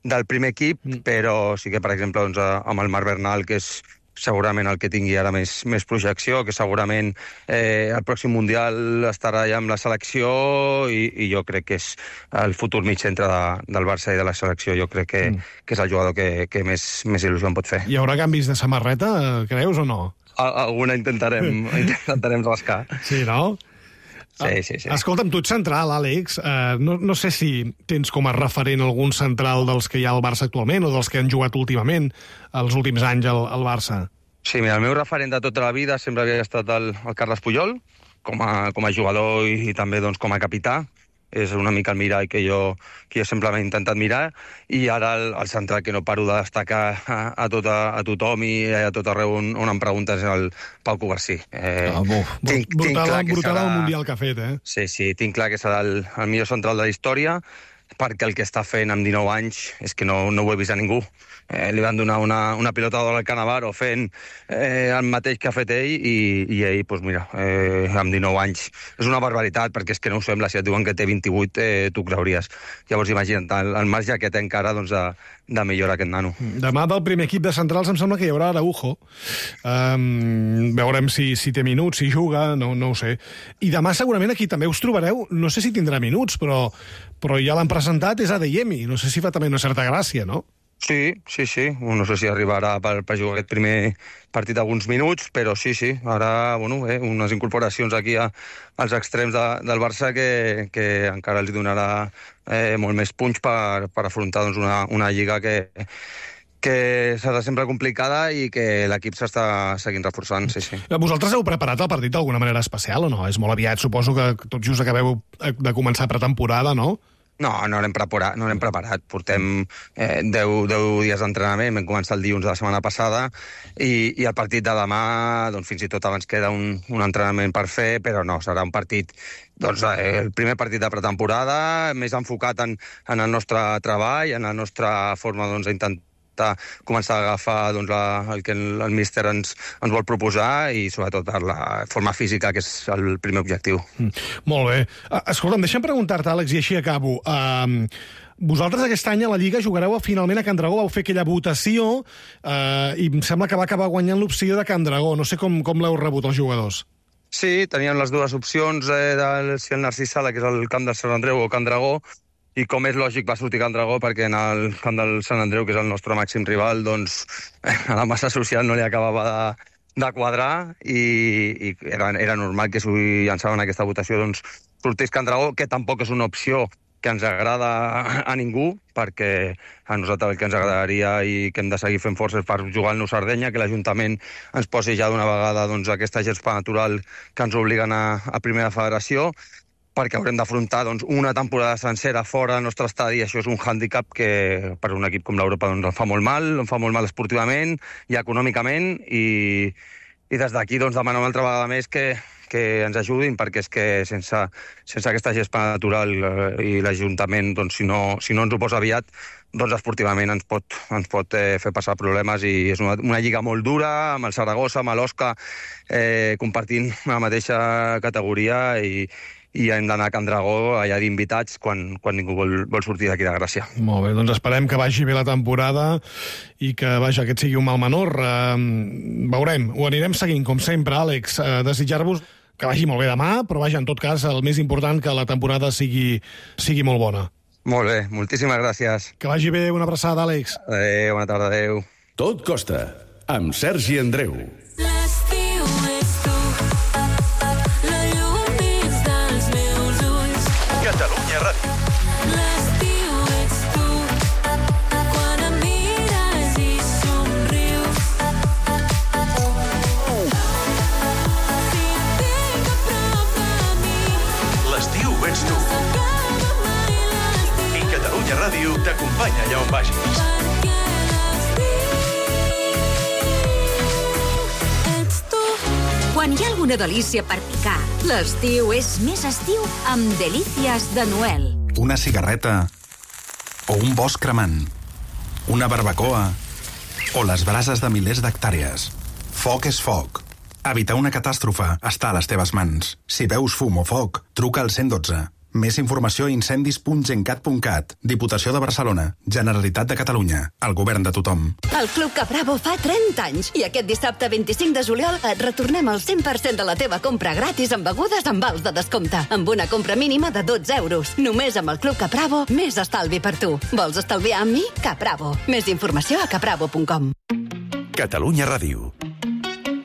del primer equip, mm. però sí que, per exemple, doncs, amb el Marc Bernal, que és segurament el que tingui ara més, més projecció, que segurament eh, el pròxim Mundial estarà ja amb la selecció, i, i jo crec que és el futur mig centre de, del Barça i de la selecció. Jo crec que, mm. que és el jugador que, que més, més il·lusió em pot fer. Hi haurà canvis de samarreta, creus, o no? Alguna intentarem, intentarem rascar. Sí, no? Sí, sí, sí. Escolta'm, tu ets central, Àlex. Uh, no, no sé si tens com a referent algun central dels que hi ha al Barça actualment o dels que han jugat últimament, els últims anys al, al Barça. Sí, mira, el meu referent de tota la vida sempre havia estat el, el Carles Puyol, com a, com a jugador i, i també doncs, com a capità. És una mica el mirall que jo, que jo sempre m'he intentat mirar, i ara el, el central que no paro de destacar a, a, tot, a, a tothom i a tot arreu on, on em preguntes és el Pau Cubarsí. Eh, ah, buf, tinc, brutal, tinc clar que brutal serà, el Mundial que ha fet, eh? Sí, sí, tinc clar que serà el, el millor central de la història, perquè el que està fent amb dinou anys és que no, no ho he vist a ningú. Eh, li van donar una, una pilota d'or al Cannavaro fent eh, el mateix que ha fet ell, i, i ell, doncs mira, eh, amb dinou anys. És una barbaritat, perquè és que no ho sembla. Si et diuen que té vint-i-vuit, eh, tu creuries. Llavors, imagina't, el, el marge que té encara doncs, de, de millorar aquest nano. Demà del primer equip de centrals em sembla que hi haurà Araujo. Um, veurem si, si té minuts, si juga, no, no ho sé. I demà segurament aquí també us trobareu, no sé si tindrà minuts, però, però ja l'han presentat, és Adeyemi. No sé si fa també una certa gràcia, no? Sí, sí, sí. No sé si arribarà per, per jugar aquest primer partit alguns minuts, però sí, sí. Ara, bueno, eh, unes incorporacions aquí a, als extrems de, del Barça que, que encara els donarà eh, molt més punx per, per afrontar doncs, una, una lliga que, que serà sempre complicada i que l'equip s'està seguint reforçant, sí, sí. Vosaltres heu preparat el partit d'alguna manera especial o no? És molt aviat, suposo que tot just acabeu de començar pretemporada, no? No, no l'hem preparat, no l'hem preparat. Portem eh, deu dies d'entrenament, vam començar el dilluns de la setmana passada, i, i el partit de demà, doncs fins i tot abans queda un, un entrenament per fer, però no, serà un partit, doncs eh, el primer partit de pretemporada, més enfocat en, en el nostre treball, en la nostra forma doncs, d'intentar començar a agafar doncs, la, el que el, el míster ens, ens vol proposar, i sobretot per la forma física, que és el primer objectiu. Mm, molt bé. Escolta'm, deixa'm preguntar-te, Àlex, i així acabo. Uh, vosaltres aquest any a la Lliga jugareu finalment a Can Dragó, vau fer aquella votació uh, i em sembla que va acabar guanyant l'opció de Can Dragó. No sé com, com l'heu rebut els jugadors. Sí, teníem les dues opcions, eh, del, si el Narcís Sala, que és el camp de Sant Andreu, o Can Dragó, i com és lògic va sortir Can Dragó, perquè en el camp del Sant Andreu, que és el nostre màxim rival, doncs a la massa social no li acabava de, de quadrar, i, i era, era normal que si llançaven aquesta votació doncs sortís Can Dragó, que tampoc és una opció que ens agrada a ningú, perquè a nosaltres el que ens agradaria i que hem de seguir fent forces per jugar al Nou Sardenya, que l'Ajuntament ens posi ja d'una vegada doncs, aquesta gespa natural que ens obliguen a, a Primera Federació, perquè haurem d'afrontar doncs, una temporada sencera fora del nostre estadi, i això és un hàndicap que per un equip com l'Europa doncs, em fa molt mal, em fa molt mal esportivament i econòmicament, i, i des d'aquí doncs, demano una altra vegada més que, que ens ajudin, perquè és que sense, sense aquesta gespa natural eh, i l'Ajuntament, doncs, si, no, si no ens ho posa aviat, doncs esportivament ens pot, ens pot eh, fer passar problemes, i és una, una lliga molt dura, amb el Saragossa, amb l'Osca, eh, compartint la mateixa categoria, i i hem d'anar a Can Dragó allà d'invitats quan, quan ningú vol, vol sortir d'aquí de Gràcia. Molt bé, doncs esperem que vagi bé la temporada i que, vaja, aquest sigui un mal menor. Uh, veurem, ho anirem seguint, com sempre, Àlex. Uh, desitjar-vos que vagi molt bé demà, però vaja, en tot cas, el més important que la temporada sigui, sigui molt bona. Molt bé, moltíssimes gràcies. Que vagi bé, una abraçada, Àlex. Adéu, bona tarda, adéu. Tot costa, amb Sergi Andreu. L'estiu és tu, la llum dins dels meus ulls. Catalunya Ràdio. L'estiu ets tu, quan em mires i somrius. Si et tinc a prop de mi, L'estiu ets tu. s'acaba mai l'estiu. I Catalunya Ràdio t'acompanya allà on vagis. Perquè l'estiu ets tu. Quan hi ha alguna delícia per picar, l'estiu és més estiu amb Delícies de Noel. Una cigarreta o un bosc cremant, una barbacoa o les brases de milers d'hectàrees. Foc és foc. Evitar una catàstrofe està a les teves mans. Si veus fum o foc, truca al cent dotze. Més informació a incendis punt gencat punt cat. Diputació de Barcelona. Generalitat de Catalunya. El govern de tothom. El Club Capravo fa trenta anys i aquest dissabte vint-i-cinc de juliol et retornem el cent per cent de la teva compra gratis amb begudes amb vals de descompte, amb una compra mínima de dotze euros. Només amb el Club Capravo, més estalvi per tu. Vols estalviar amb mi? Capravo. Més informació a capravo punt com. Catalunya Ràdio.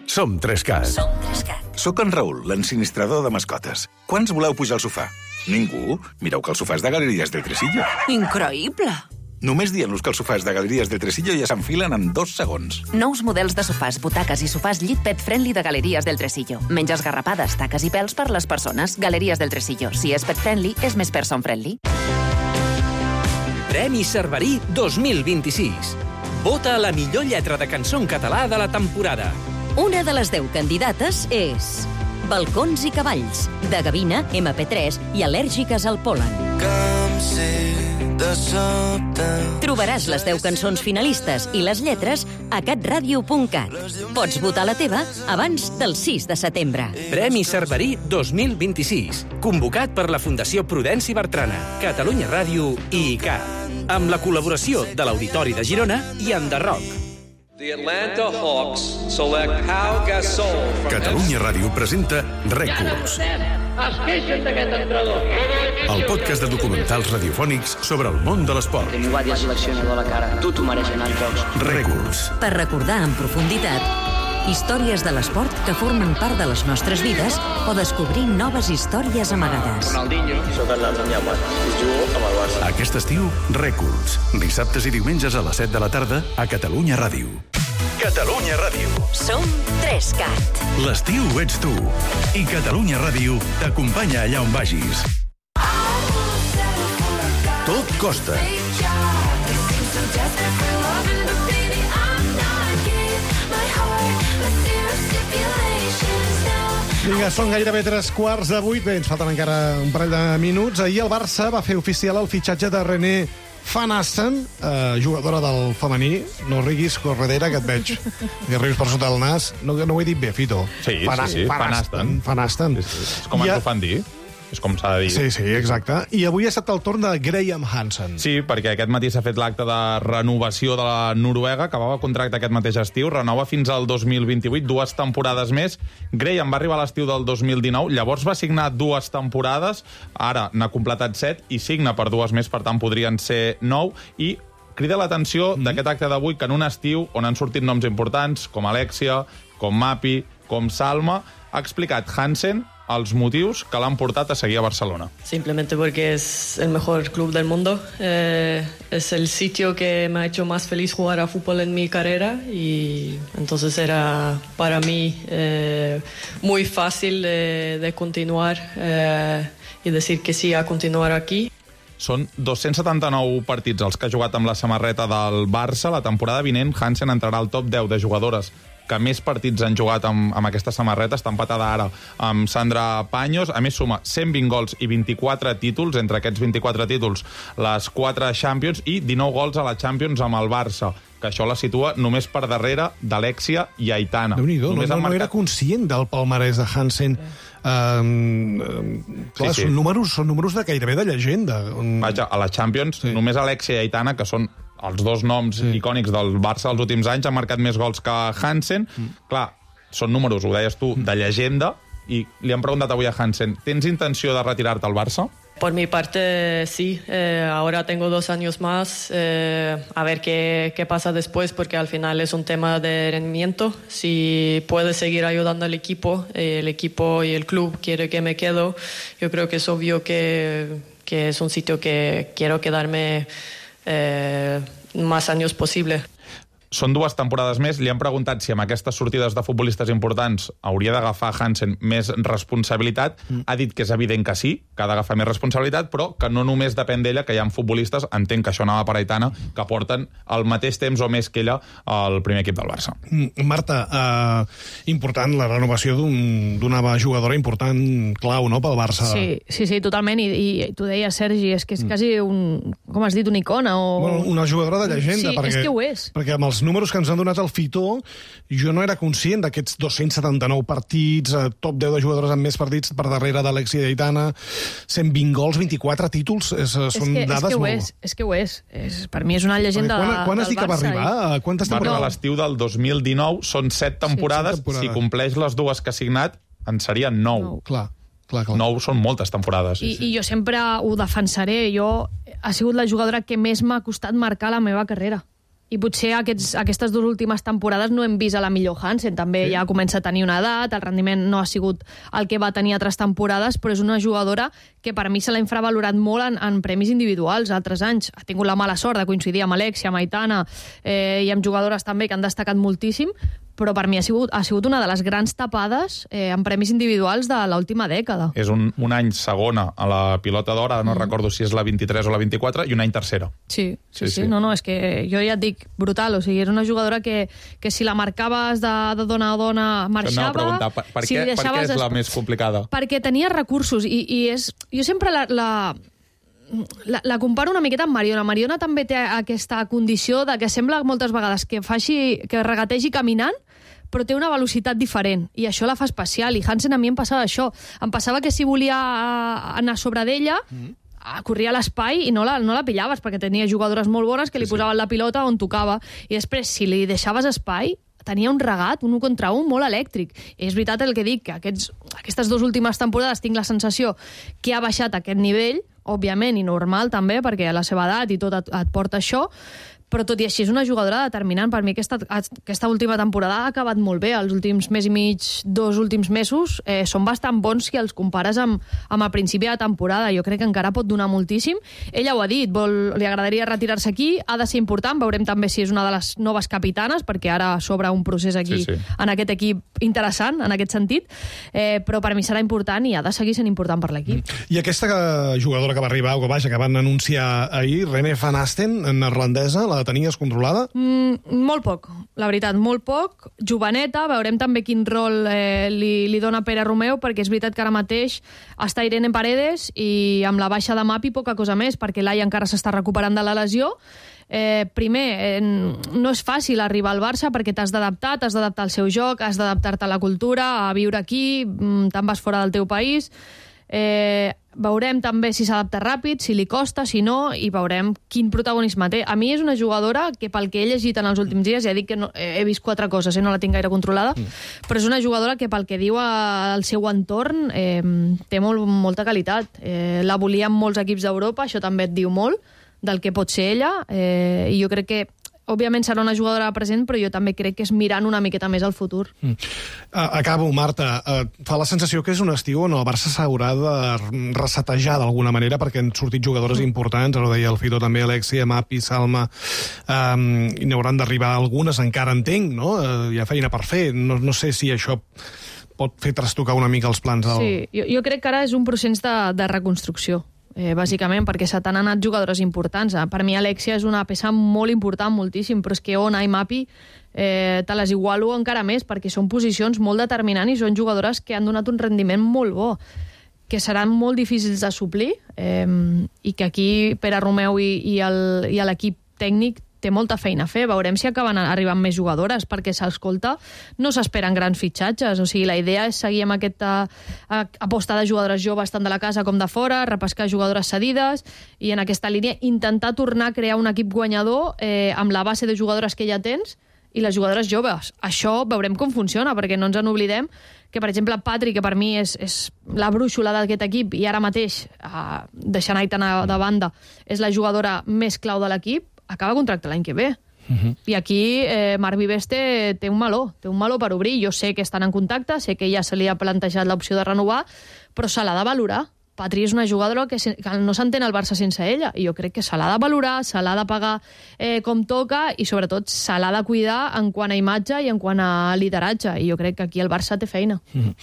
Som Trescat. Som Trescat. Soc en Raül, l'ensinistrador de mascotes. Quants voleu pujar al sofà? Ningú? Mireu que el sofà és de Galeries del Tresillo. Increïble! Només dient-los que els sofàs de Galeries del Tresillo ja s'enfilen en dos segons. Nous models de sofàs, butaques i sofàs llit pet friendly de Galeries del Tresillo. Menys esgarrapades, taques i pèls per les persones. Galeries del Tresillo. Si és pet friendly, és més person friendly. Premi Cerverí dos mil vint-i-sis. Vota la millor lletra de cançó en català de la temporada. Una de les deu candidates és Balcons i cavalls, de Gavina, ema pe tres i Al·lèrgiques al pol·len. Trobaràs les deu cançons finalistes i les lletres a catradio punt cat. Pots votar la teva abans del sis de setembre. Premi Cerverí dos mil vint-i-sis. Convocat per la Fundació Prudenci Bertrana, Catalunya Ràdio i I C A. Amb la col·laboració de l'Auditori de Girona i Enderroc. The Atlanta Hawks select Pau Gasol from Catalunya Ràdio presenta Rècords, Es queixen d'aquest entrenador. el podcast de documentals radiofònics sobre el món de l'esport. Teniu va dir al seleccionador a la cara. Tu t'ho mereixen els jocs. Rècords. Per recordar en profunditat històries de l'esport que formen part de les nostres vides o descobrir noves històries amagades. Ronaldinho. Soc el Damià Mat. Jugo amb el Barça. Aquest estiu, Rècords. Dissabtes i diumenges a les set de la tarda a Catalunya Ràdio. Catalunya Ràdio. Som Trescat. L'estiu ets tu. I Catalunya Ràdio t'acompanya allà on vagis. Tot costa. Vinga, són gairebé tres quarts de vuit. Bé, ens falten encara un parell de minuts. Ahir el Barça va fer oficial el fitxatge de René Van Asten, eh, jugadora del femení. No riguis, Corredera, que et veig. Que rius per sota del nas. No, no ho he dit bé, Fito. Sí, Van, sí, sí, Van Asten. Van Asten. És, és com ens ho fan dir. És com s'ha de dir. Sí, sí, exacte. I avui ha estat el torn de Graham Hansen. Sí, perquè aquest matí s'ha fet l'acte de renovació de la Noruega, acabava contracte aquest mateix estiu, renova fins al dos mil vint-i-vuit, dues temporades més. Graham va arribar a l'estiu del dos mil dinou, llavors va signar dues temporades, ara n'ha completat set i signa per dues més, per tant podrien ser nou, i crida l'atenció mm. d'aquest acte d'avui que en un estiu on han sortit noms importants, com Alexia, com Mapi, com Salma, ha explicat Hansen els motivos que l'han portat a seguir a Barcelona. Simplemente porque es el mejor club del mundo. Eh, es el sitio que me ha hecho más feliz jugar a fútbol en mi carrera y entonces era para mí eh, muy fácil de, de continuar eh, y decir que sí a continuar aquí. Són dos-cents setanta-nou partits els que ha jugat amb la samarreta del Barça. La temporada vinent, Hansen entrarà al top deu de jugadores que més partits han jugat amb, amb aquesta samarreta. Està empatada ara amb Sandra Paños. A més, suma cent vint gols i vint-i-quatre títols. Entre aquests vint-i-quatre títols, les quatre Champions i dinou gols a la Champions amb el Barça, que això la situa només per darrere d'Alexia i Aitana. Déu-n'hi-do, no, no, marcat... no era conscient del palmarès de Hansen. Um, clar, sí, sí. Són, números, són números de gairebé de llegenda. Vaja, a la Champions, sí. Només Alexia i Aitana, que són els dos noms sí. icònics del Barça dels últims anys, han marcat més gols que Hansen. Mm. Clar, són números, ho deies tu, de llegenda, i li han preguntat avui a Hansen, tens intenció de retirar-te al Barça? Por mi parte, sí. Eh, ahora tengo dos años más. Eh, a ver qué, qué pasa después, porque al final es un tema de rendimiento. Si puedo seguir ayudando al equipo, eh, el equipo y el club quiere que me quedo, yo creo que es obvio que, que es un sitio que quiero quedarme eh, más años posible. Són dues temporades més. Li han preguntat si amb aquestes sortides de futbolistes importants hauria d'agafar Hansen més responsabilitat. Mm. Ha dit que és evident que sí, que ha d'agafar més responsabilitat, però que no només depèn d'ella, que hi ha futbolistes, entenc que això anava per Aitana, que porten el mateix temps o més que ella al primer equip del Barça. Mm, Marta, eh, important la renovació d'una un, jugadora important, clau, no?, pel Barça. Sí, sí, sí, totalment, i, i tu deies, Sergi, és que és mm. quasi un, com has dit, una icona o... Bueno, una jugadora de llegenda. Sí, perquè, és que ho és. Perquè amb els números que ens han donat al Fitó, jo no era conscient d'aquests dos-cents setanta-nou partits, eh, top deu de jugadores amb més partits per darrere d'Alexia i d'Aitana, cent vint gols, vint-i-quatre títols, és, són és que, dades és que molt... És, és que ho és. és. Per mi és una llegenda quan, del, quan has del dit que va Barça. arribar? I... Quantes Va temporades? arribar a l'estiu del dos mil dinou, són set temporades, sí, set temporades. Si compleix les dues que ha signat, en serien nou. Nou. Clar. Clar, clar. Nou són moltes temporades. I, I jo sempre ho defensaré. Jo ha sigut la jugadora que més m'ha costat marcar la meva carrera. I potser aquests, aquestes dues últimes temporades no hem vist a la millor Hansen. També sí. Ja comença a tenir una edat, el rendiment no ha sigut el que va tenir altres temporades, però és una jugadora que per mi se l'ha infravalorat molt en, en premis individuals altres anys. Ha tingut la mala sort de coincidir amb Alexia, amb Aitana eh, i amb jugadores també que han destacat moltíssim, però per mi ha sigut, ha sigut una de les grans tapades eh, en premis individuals de l'última dècada. És un, un any segona a la pilota d'or, no mm. recordo si és la vint-i-tres o la vint-i-quatre, i un any tercera. Sí, sí, sí, sí. No, no, és que jo ja et dic, brutal, o sigui, era una jugadora que, que si la marcaves de, de dona a dona marxava... Preguntar, per, per, si què, per què és la es... més complicada? Perquè tenia recursos, i, i és... Jo sempre la... la... La, la comparo una miqueta amb Mariona. Mariona també té aquesta condició de que sembla moltes vegades que faci, que regategi caminant, però té una velocitat diferent, i això la fa especial, i Hansen a mi em passava això. Em passava que si volia anar sobre d'ella, mm. corria a l'espai i no la, no la pillaves, perquè tenia jugadores molt bones que li sí, posaven sí. la pilota on tocava, i després, si li deixaves espai, tenia un regat, un un contra un, molt elèctric. I és veritat el que dic, que aquests, aquestes dues últimes temporades tinc la sensació que ha baixat aquest nivell, òbviament, i normal també, perquè a la seva edat i tot et, et porta això, però tot i així és una jugadora determinant. Per mi aquesta, aquesta última temporada ha acabat molt bé. Els últims mes i mig, dos últims mesos, eh, són bastant bons si els compares amb, amb el principi de la temporada. Jo crec que encara pot donar moltíssim. Ella ho ha dit, vol, li agradaria retirar-se aquí, ha de ser important, veurem també si és una de les noves capitanes, perquè ara s'obre un procés aquí, sí, sí. en aquest equip interessant, en aquest sentit, eh, però per mi serà important i ha de seguir sent important per l'equip. I aquesta jugadora que va arribar, o que vaja, que van anunciar ahir, Rene van Asten, neerlandesa, la tenies controlada? Mm, molt poc, la veritat, molt poc. Joveneta, veurem també quin rol eh, li, li dona Pere Romeu, perquè és veritat que ara mateix està Irene Paredes i amb la baixa de Mapi poca cosa més, perquè Laia encara s'està recuperant de la lesió. Eh, primer, eh, no és fàcil arribar al Barça perquè t'has d'adaptar, t'has d'adaptar al seu joc, has d'adaptar-te a la cultura, a viure aquí, te'n vas fora del teu país... Eh, veurem també si s'adapta ràpid, si li costa, si no, i veurem quin protagonisme té. A mi és una jugadora que, pel que he llegit en els últims dies, ja dic que no, he vist quatre coses, eh, no la tinc gaire controlada, mm. però és una jugadora que, pel que diu al seu entorn, eh, té molt, molta qualitat. Eh, la volien molts equips d'Europa, això també et diu molt del que pot ser ella, eh, i jo crec que òbviament serà una jugadora present, però jo també crec que és mirant una miqueta més al futur. Mm. Acabo, Marta. Fa la sensació que és un estiu on el Barça s'haurà de resetejar d'alguna manera, perquè han sortit jugadores mm. importants, ara ho deia el Fito també, Alexia, Mapi, Salma, um, i n'hauran d'arribar algunes, encara entenc, no? Uh, hi ha feina per fer. No, no sé si això pot fer trastocar una mica els plans del... Sí, jo, jo crec que ara és un procés de, de reconstrucció. Eh, bàsicament, perquè se t'han anat jugadores importants. Per mi Alexia és una peça molt important, moltíssim, però és que Ona i Mapi eh, te les igualo encara més, perquè són posicions molt determinants i són jugadores que han donat un rendiment molt bo, que seran molt difícils de suplir, eh, i que aquí Pere Romeu i, i l'equip tècnic té molta feina a fer. Veurem si acaben arribant més jugadores, perquè s'escolta, no s'esperen grans fitxatges. O sigui, la idea és seguir amb aquesta aposta de jugadores joves tant de la casa com de fora, repescar jugadores cedides, i en aquesta línia intentar tornar a crear un equip guanyador eh, amb la base de jugadores que ja tens, i les jugadores joves. Això veurem com funciona, perquè no ens en oblidem que, per exemple, Patri, que per mi és, és la brúixola d'aquest equip, i ara mateix, eh, deixant Aitana de banda, és la jugadora més clau de l'equip, acaba contracte l'any que ve. Uh-huh. I aquí eh, Marc Vives té, té un meló, té un meló per obrir. Jo sé que estan en contacte, sé que ja se li ha plantejat l'opció de renovar, però se l'ha de valorar. Patri és una jugadora que, se, que no s'entén el Barça sense ella, i jo crec que se l'ha de valorar, se l'ha de pagar eh, com toca, i sobretot se l'ha de cuidar en quant a imatge i en quant a lideratge, i jo crec que aquí el Barça té feina. Uh-huh.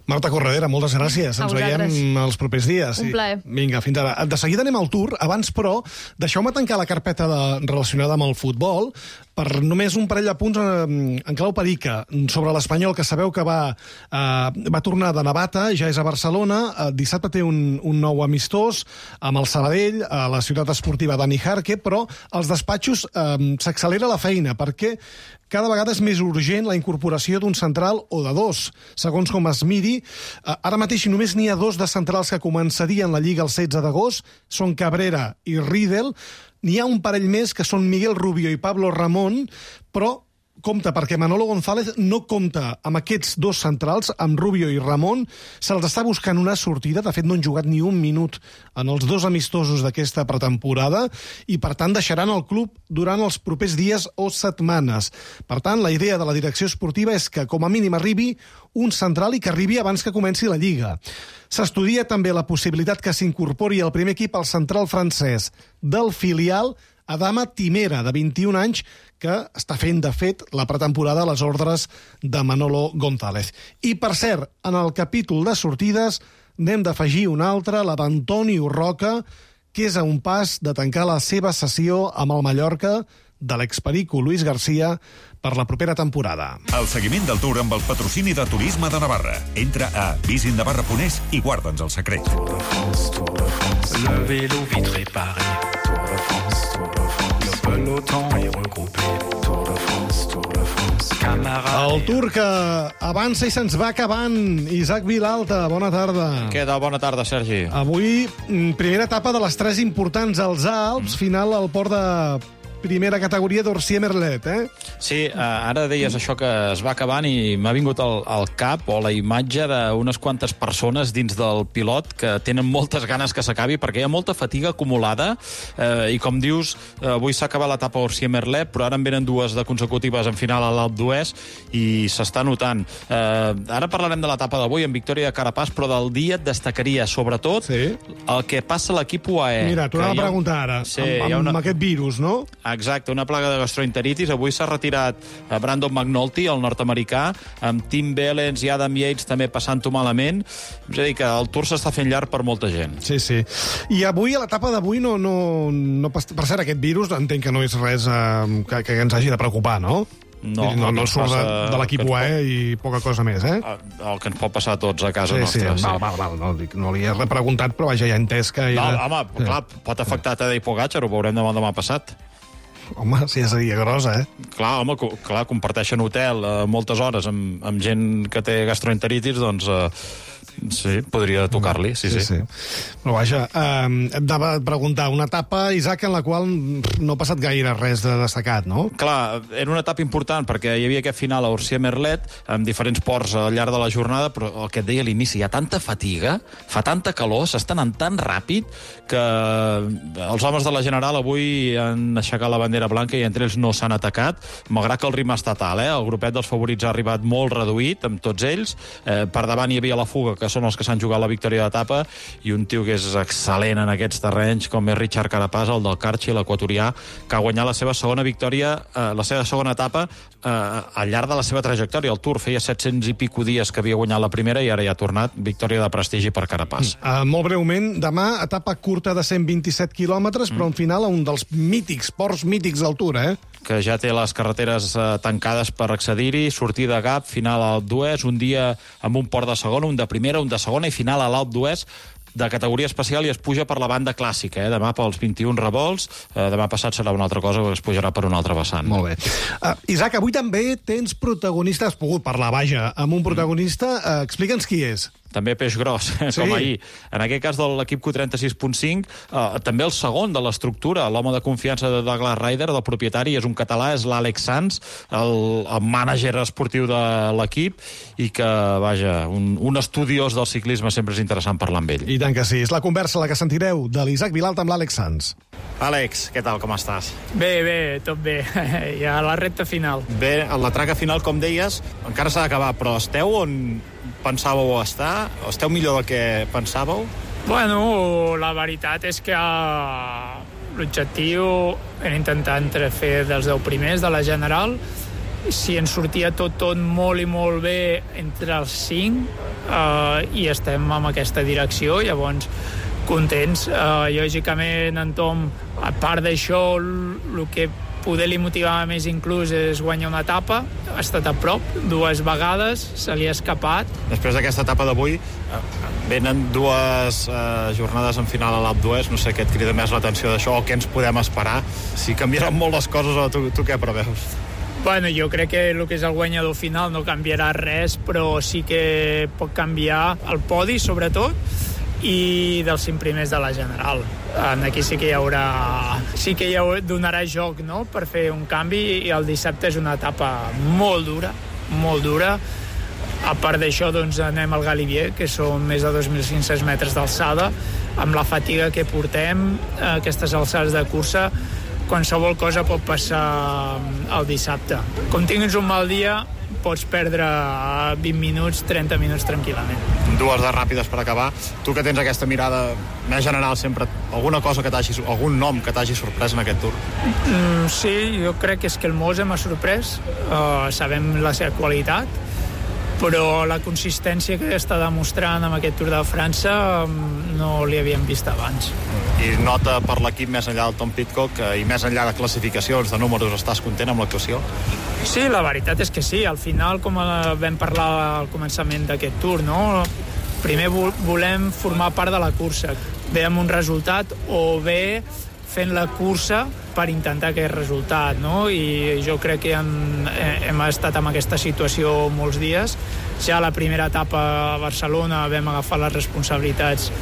Marta Corredera, moltes gràcies. A Ens vosaltres. veiem els propers dies. Un plaer. Vinga, fins ara. De seguida anem al Tour. Abans, però, deixeu-me tancar la carpeta de, relacionada amb el futbol per només un parell de punts en, en clau perica sobre l'Espanyol, que sabeu que va, eh, va tornar de Navata, ja és a Barcelona. Eh, dissabte té un, un nou amistós amb el Sabadell, a la ciutat esportiva Dani Jarque, però als despatxos eh, s'accelera la feina, perquè cada vegada és més urgent la incorporació d'un central o de dos, segons com es miri. Ara mateix només n'hi ha dos de centrals que començarien la Lliga el setze d'agost, són Cabrera i Riedel. N'hi ha un parell més, que són Miguel Rubio i Pablo Ramón, però compte, perquè Manolo González no compta amb aquests dos centrals, amb Rubio i Ramón. Se'ls està buscant una sortida. De fet, no han jugat ni un minut en els dos amistosos d'aquesta pretemporada i, per tant, deixaran el club durant els propers dies o setmanes. Per tant, la idea de la direcció esportiva és que, com a mínim, arribi un central i que arribi abans que comenci la Lliga. S'estudia també la possibilitat que s'incorpori al primer equip el central francès del filial, Adama Timera, de vint-i-un anys, que està fent, de fet, la pretemporada a les ordres de Manolo González. I, per cert, en el capítol de sortides n'hem d'afegir un altre, la d'Antoni Urroca, que és a un pas de tancar la seva sessió amb el Mallorca de l'experico Luis García per la propera temporada. El seguiment del Tour amb el patrocini de Turisme de Navarra. Entra a visit navarra punt es i guarda'ns el secret. Le vélo vite réparé. Tour de France, Tour de France. Le peloton est regroupé. Tour de France, Tour de France. Camarades. El Tour que avança i se'ns va acabant. Isaac Vilalta, bona tarda. Què tal? Bona tarda, Sergi. Avui, primera etapa de les tres importants als Alps, final al port de primera categoria d'Orsier Merlet, eh? Sí, eh, ara deies això que es va acabant i m'ha vingut al, al cap o la imatge d'unes quantes persones dins del pilot que tenen moltes ganes que s'acabi perquè hi ha molta fatiga acumulada eh, i com dius, eh, avui s'ha acabat l'etapa Orsier Merlet, però ara en venen dues de consecutives en final a l'Alp d'Huez i s'està notant. Eh, ara parlarem de l'etapa d'avui en victòria de Carapaz, però del dia et destacaria sobretot sí. el que passa a l'equip U A E. Mira, t'ho anava a preguntar ara, sí, amb, amb, una... amb aquest virus, no? Exacte, una plaga de gastroenteritis. Avui s'ha retirat Brandon McNulty, el nord-americà, amb Tim Bellens i Adam Yates també passant-ho malament. És a dir, que el Tour s'està fent llarg per molta gent. Sí, sí. I avui, a l'etapa d'avui, no, no, no... Per cert, aquest virus entenc que no és res eh, que, que ens hagi de preocupar, no? No, no, no surt de, passa, de l'equip U A E i poca cosa més, eh? El que ens pot passar a tots a casa sí, nostra. Sí, sí, val, val, val. No, no li he repreguntat, però vaja, ja he entès que... No, era... home, sí. clar, pot afectar Tadej Pogačar, ho veurem demà demà passat. Home, sí, seria grossa, eh? Clar, home, clar, comparteixen hotel eh, moltes hores amb, amb gent que té gastroenteritis, doncs eh, sí, podria tocar-li, sí, sí. sí, sí. Però vaja, eh, et anava a preguntar, una etapa, Isaac, en la qual no ha passat gaire res de destacat, no? Clar, era una etapa important perquè hi havia aquest final a Orsier Merlet amb diferents ports al llarg de la jornada, però el que et deia a l'inici, hi ha tanta fatiga, fa tanta calor, s'està anant tan ràpid que els homes de la General avui han aixecat la bandera blanca i entre ells no s'han atacat, malgrat que el ritme està tal, eh? El grupet dels favorits ha arribat molt reduït amb tots ells, eh, per davant hi havia la Fuga, que són els que s'han jugat la victòria d'etapa, i un tio que és excel·lent en aquests terrenys, com és Richard Carapaz, el del Carchi, l'equatorià, que ha guanyat la seva segona victòria, eh, la seva segona etapa eh, al llarg de la seva trajectòria. El Tour feia set-cents i pico dies que havia guanyat la primera i ara ja ha tornat, victòria de prestigi per Carapaz. Uh, molt breument, demà, etapa curta de cent vint-i-set quilòmetres, mm. però en final un dels mítics, ports mítics del Tour, eh? Que ja té les carreteres eh, tancades per accedir-hi, sortida a Gap, final a l'Alp d'Huez, un dia amb un port de segona, un de primera, un de segona i final a l'Alp d'Huez de categoria especial i es puja per la banda clàssica, eh? Demà pels vint-i-un revolts, eh, demà passat serà una altra cosa, es pujarà per un altre vessant. Molt bé. Uh, Isaac, avui també tens protagonista, has pogut parlar, vaja, amb un protagonista, uh, explica'ns qui és. també peix gros, sí. com ahir. En aquest cas de l'equip Q trenta-sis punt cinc, eh, també el segon de l'estructura, l'home de confiança de Douglas Ryder, del propietari, és un català, és l'Àlex Sanz, el, el mànager esportiu de l'equip, i que, vaja, un, un estudiós del ciclisme sempre és interessant parlar amb ell. I tant que sí. És la conversa la que sentireu de l'Isaac Vilalta amb l'Àlex Sanz. Àlex, què tal, com estàs? Bé, bé, tot bé. Ja a la recta final. Bé, a la traca final, com deies, encara s'ha d'acabar, però esteu on pensàveu estar? Esteu millor del que pensàveu? Bueno, la veritat és que uh, l'objectiu era intentar entre fer dels deu primers de la general. Si ens sortia tot, tot molt i molt bé entre els cinc, uh, i estem en aquesta direcció, llavors contents. Uh, lògicament, en Tom, a part d'això, el que poder li motivava més inclús és guanyar una etapa. Ha estat a prop dues vegades, se li ha escapat. Després d'aquesta etapa d'avui, venen dues eh, jornades en final a l'Alpe d'Huez. No sé què et crida més l'atenció d'això o què ens podem esperar. Si canviaran molt les coses, o tu, tu què preveus? Bueno, jo crec que el que és el guanyador final no canviarà res, però sí que pot canviar el podi, sobretot, i dels cinc primers de la general. Aquí sí que hi haurà sí que hi haurà, donarà joc, no?, per fer un canvi, i el dissabte és una etapa molt dura, molt dura. A part d'això, doncs, anem al Galibier, que són més de dos mil cinc-cents metres d'alçada, amb la fatiga que portem, aquestes alçades de cursa, qualsevol cosa pot passar el dissabte. Com tinguis un mal dia, pots perdre vint minuts, trenta minuts tranquil·lament. Dues de ràpides per acabar. Tu que tens aquesta mirada més general sempre, alguna cosa que t'hagi, algun nom que t'hagi sorprès en aquest Tour? Mm, sí, jo crec que és que el Mose m'ha sorprès. Uh, sabem la seva qualitat, però la consistència que està demostrant amb aquest Tour de França no li havíem vist abans. I nota per l'equip més enllà del Tom Pidcock i més enllà de classificacions, de números, estàs content amb l'actuació? Sí, la veritat és que sí. Al final, com vam parlar al començament d'aquest Tour, no? Primer volem formar part de la cursa, bé amb un resultat o bé fent la cursa per intentar aquest resultat, no? I jo crec que hem, hem estat en aquesta situació molts dies. Ja a la primera etapa a Barcelona vam agafar les responsabilitats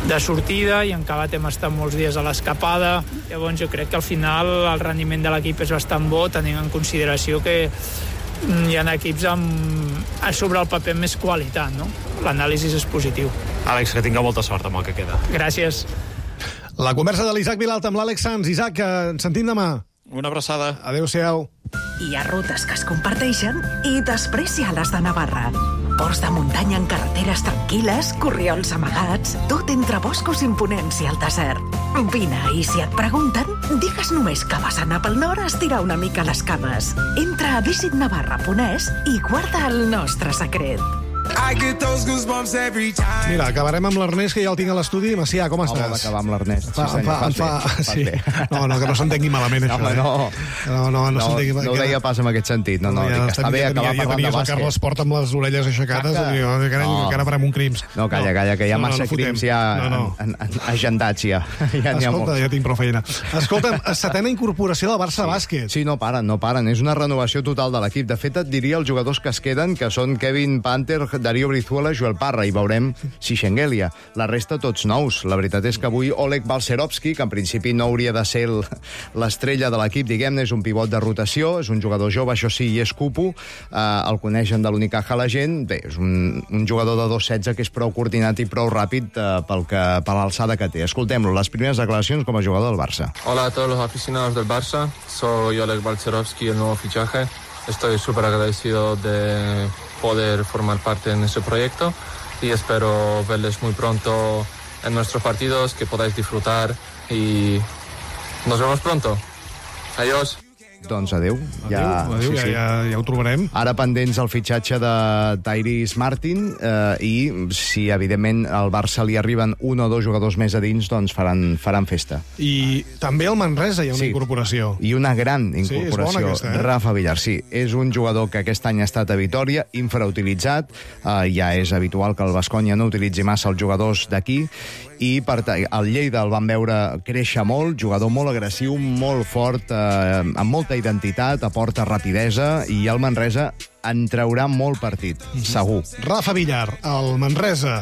de sortida i en Cabat hem estat molts dies a l'escapada. Llavors jo crec que al final el rendiment de l'equip és bastant bo, tenint en consideració que hi ha equips amb, sobre el paper, més qualitat, no? L'anàlisi és positiu. Àlex, que tinga molta sort amb el que queda. Gràcies. La conversa de l'Isaac Vilalta amb l'Àlex Sanz. Isaac, ens sentim demà. Una abraçada. Adéu-siau. Hi ha rutes que es comparteixen i després hi ha les de Navarra. Ports de muntanya en carreteres tranquil·les, corriols amagats, tot entre boscos imponents i el desert. Vine, i si et pregunten, digues només que vas anar pel nord a estirar una mica les cames. Entra a visit navarra punt es i guarda el nostre secret. Mira, acabarem amb l'Ernest, que ja el tinc a l'estudi. Macià, com estàs? Home, d'acabar amb l'Ernest. Fa, sí, fa, fa, fa, sí. No, no, que no s'entengui malament, això. Home, no. Eh? No, no, no, no, s'entengui... no ho deia pas en aquest sentit. No, no, ja, dic que està bé acabar ja, parlant ja de bàsquet. El Carles Porta amb les orelles aixecades i diu, oh, carai, no. encara farem un crims. No, calla, calla, que hi ha no, massa no, no crims ja no, no. En, en, agendats ja. ja Escolta, ja tinc prou feina. Escolta'm, setena incorporació del Barça sí. Bàsquet. Sí, no paren, no paren. És una renovació total de l'equip. De fet, et diria els jugadors que es queden, que són Kevin Panther, Darío Brizuela, Joel Parra, i veurem si Schengelia. La resta tots nous. La veritat és que avui Oleg Balcerovski, que en principi no hauria de ser l'estrella de l'equip, diguem-ne, és un pivot de rotació, és un jugador jove, això sí, i és cupo, eh, el coneixen de l'Unicaja la gent, bé, és un, un jugador de dos setze que és prou coordinat i prou ràpid eh, pel que, per l'alçada que té. Escoltem-lo, les primeres declaracions com a jugador del Barça. Hola a todos los aficionados del Barça, soy Oleg Balcerovski, el nuevo fichaje. Estoy súper agradecido de poder formar parte en ese proyecto y espero verles muy pronto en nuestros partidos, que podáis disfrutar y nos vemos pronto. Adiós. Doncs adéu. Ja, adéu, sí, ja, sí. ja, ja ho trobarem. Ara pendents el fitxatge de Tyrese Martin eh, i si, evidentment, al Barça li arriben un o dos jugadors més a dins, doncs faran, faran festa. I també al Manresa hi ha una sí. incorporació. I una gran incorporació. Sí, és bona aquesta, eh? Rafa Villar, sí. És un jugador que aquest any ha estat a Vitòria, infrautilitzat. Eh, ja és habitual que el Baskonia no utilitzi massa els jugadors d'aquí. I per el Lleida el van veure créixer molt, jugador molt agressiu, molt fort, eh, amb molta aporta identitat, aporta rapidesa, i el Manresa en traurà molt partit, segur. Rafa Villar, el Manresa.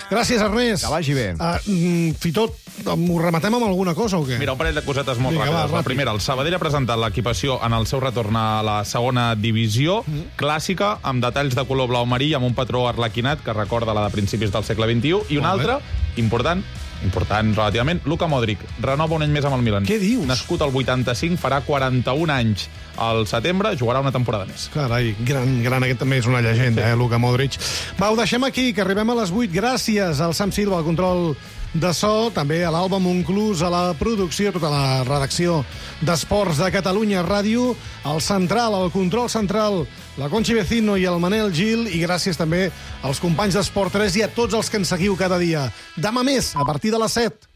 Gràcies, Ernest. Que vagi bé. Uh, Fitot, m'ho rematem amb alguna cosa o què? Mira, un parell de cosetes molt Vinga, ràpides. va, La primera, el Sabadell ha presentat l'equipació en el seu retorn a la segona divisió, mm. clàssica, amb detalls de color blau marí, amb un patró arlequinat que recorda la de principis del segle vint-i-u, i una altra, important, important relativament, Luka Modric renova un any més amb el Milan. Què dius? Nascut al vuitanta-cinc, farà quaranta-un anys al setembre, jugarà una temporada més. Carai, gran, gran, aquest també és una llegenda, eh, Luka Modric. Va, ho deixem aquí, que arribem a les vuit. Gràcies al Sam Silva, al control de so, també a l'Alba Monclús, a la producció, tota la redacció d'Esports de Catalunya Ràdio, al central, al control central, la Conchi Vecino i el Manel Gil, i gràcies també als companys d'Esport tres i a tots els que ens seguiu cada dia. Demà més, a partir de les set.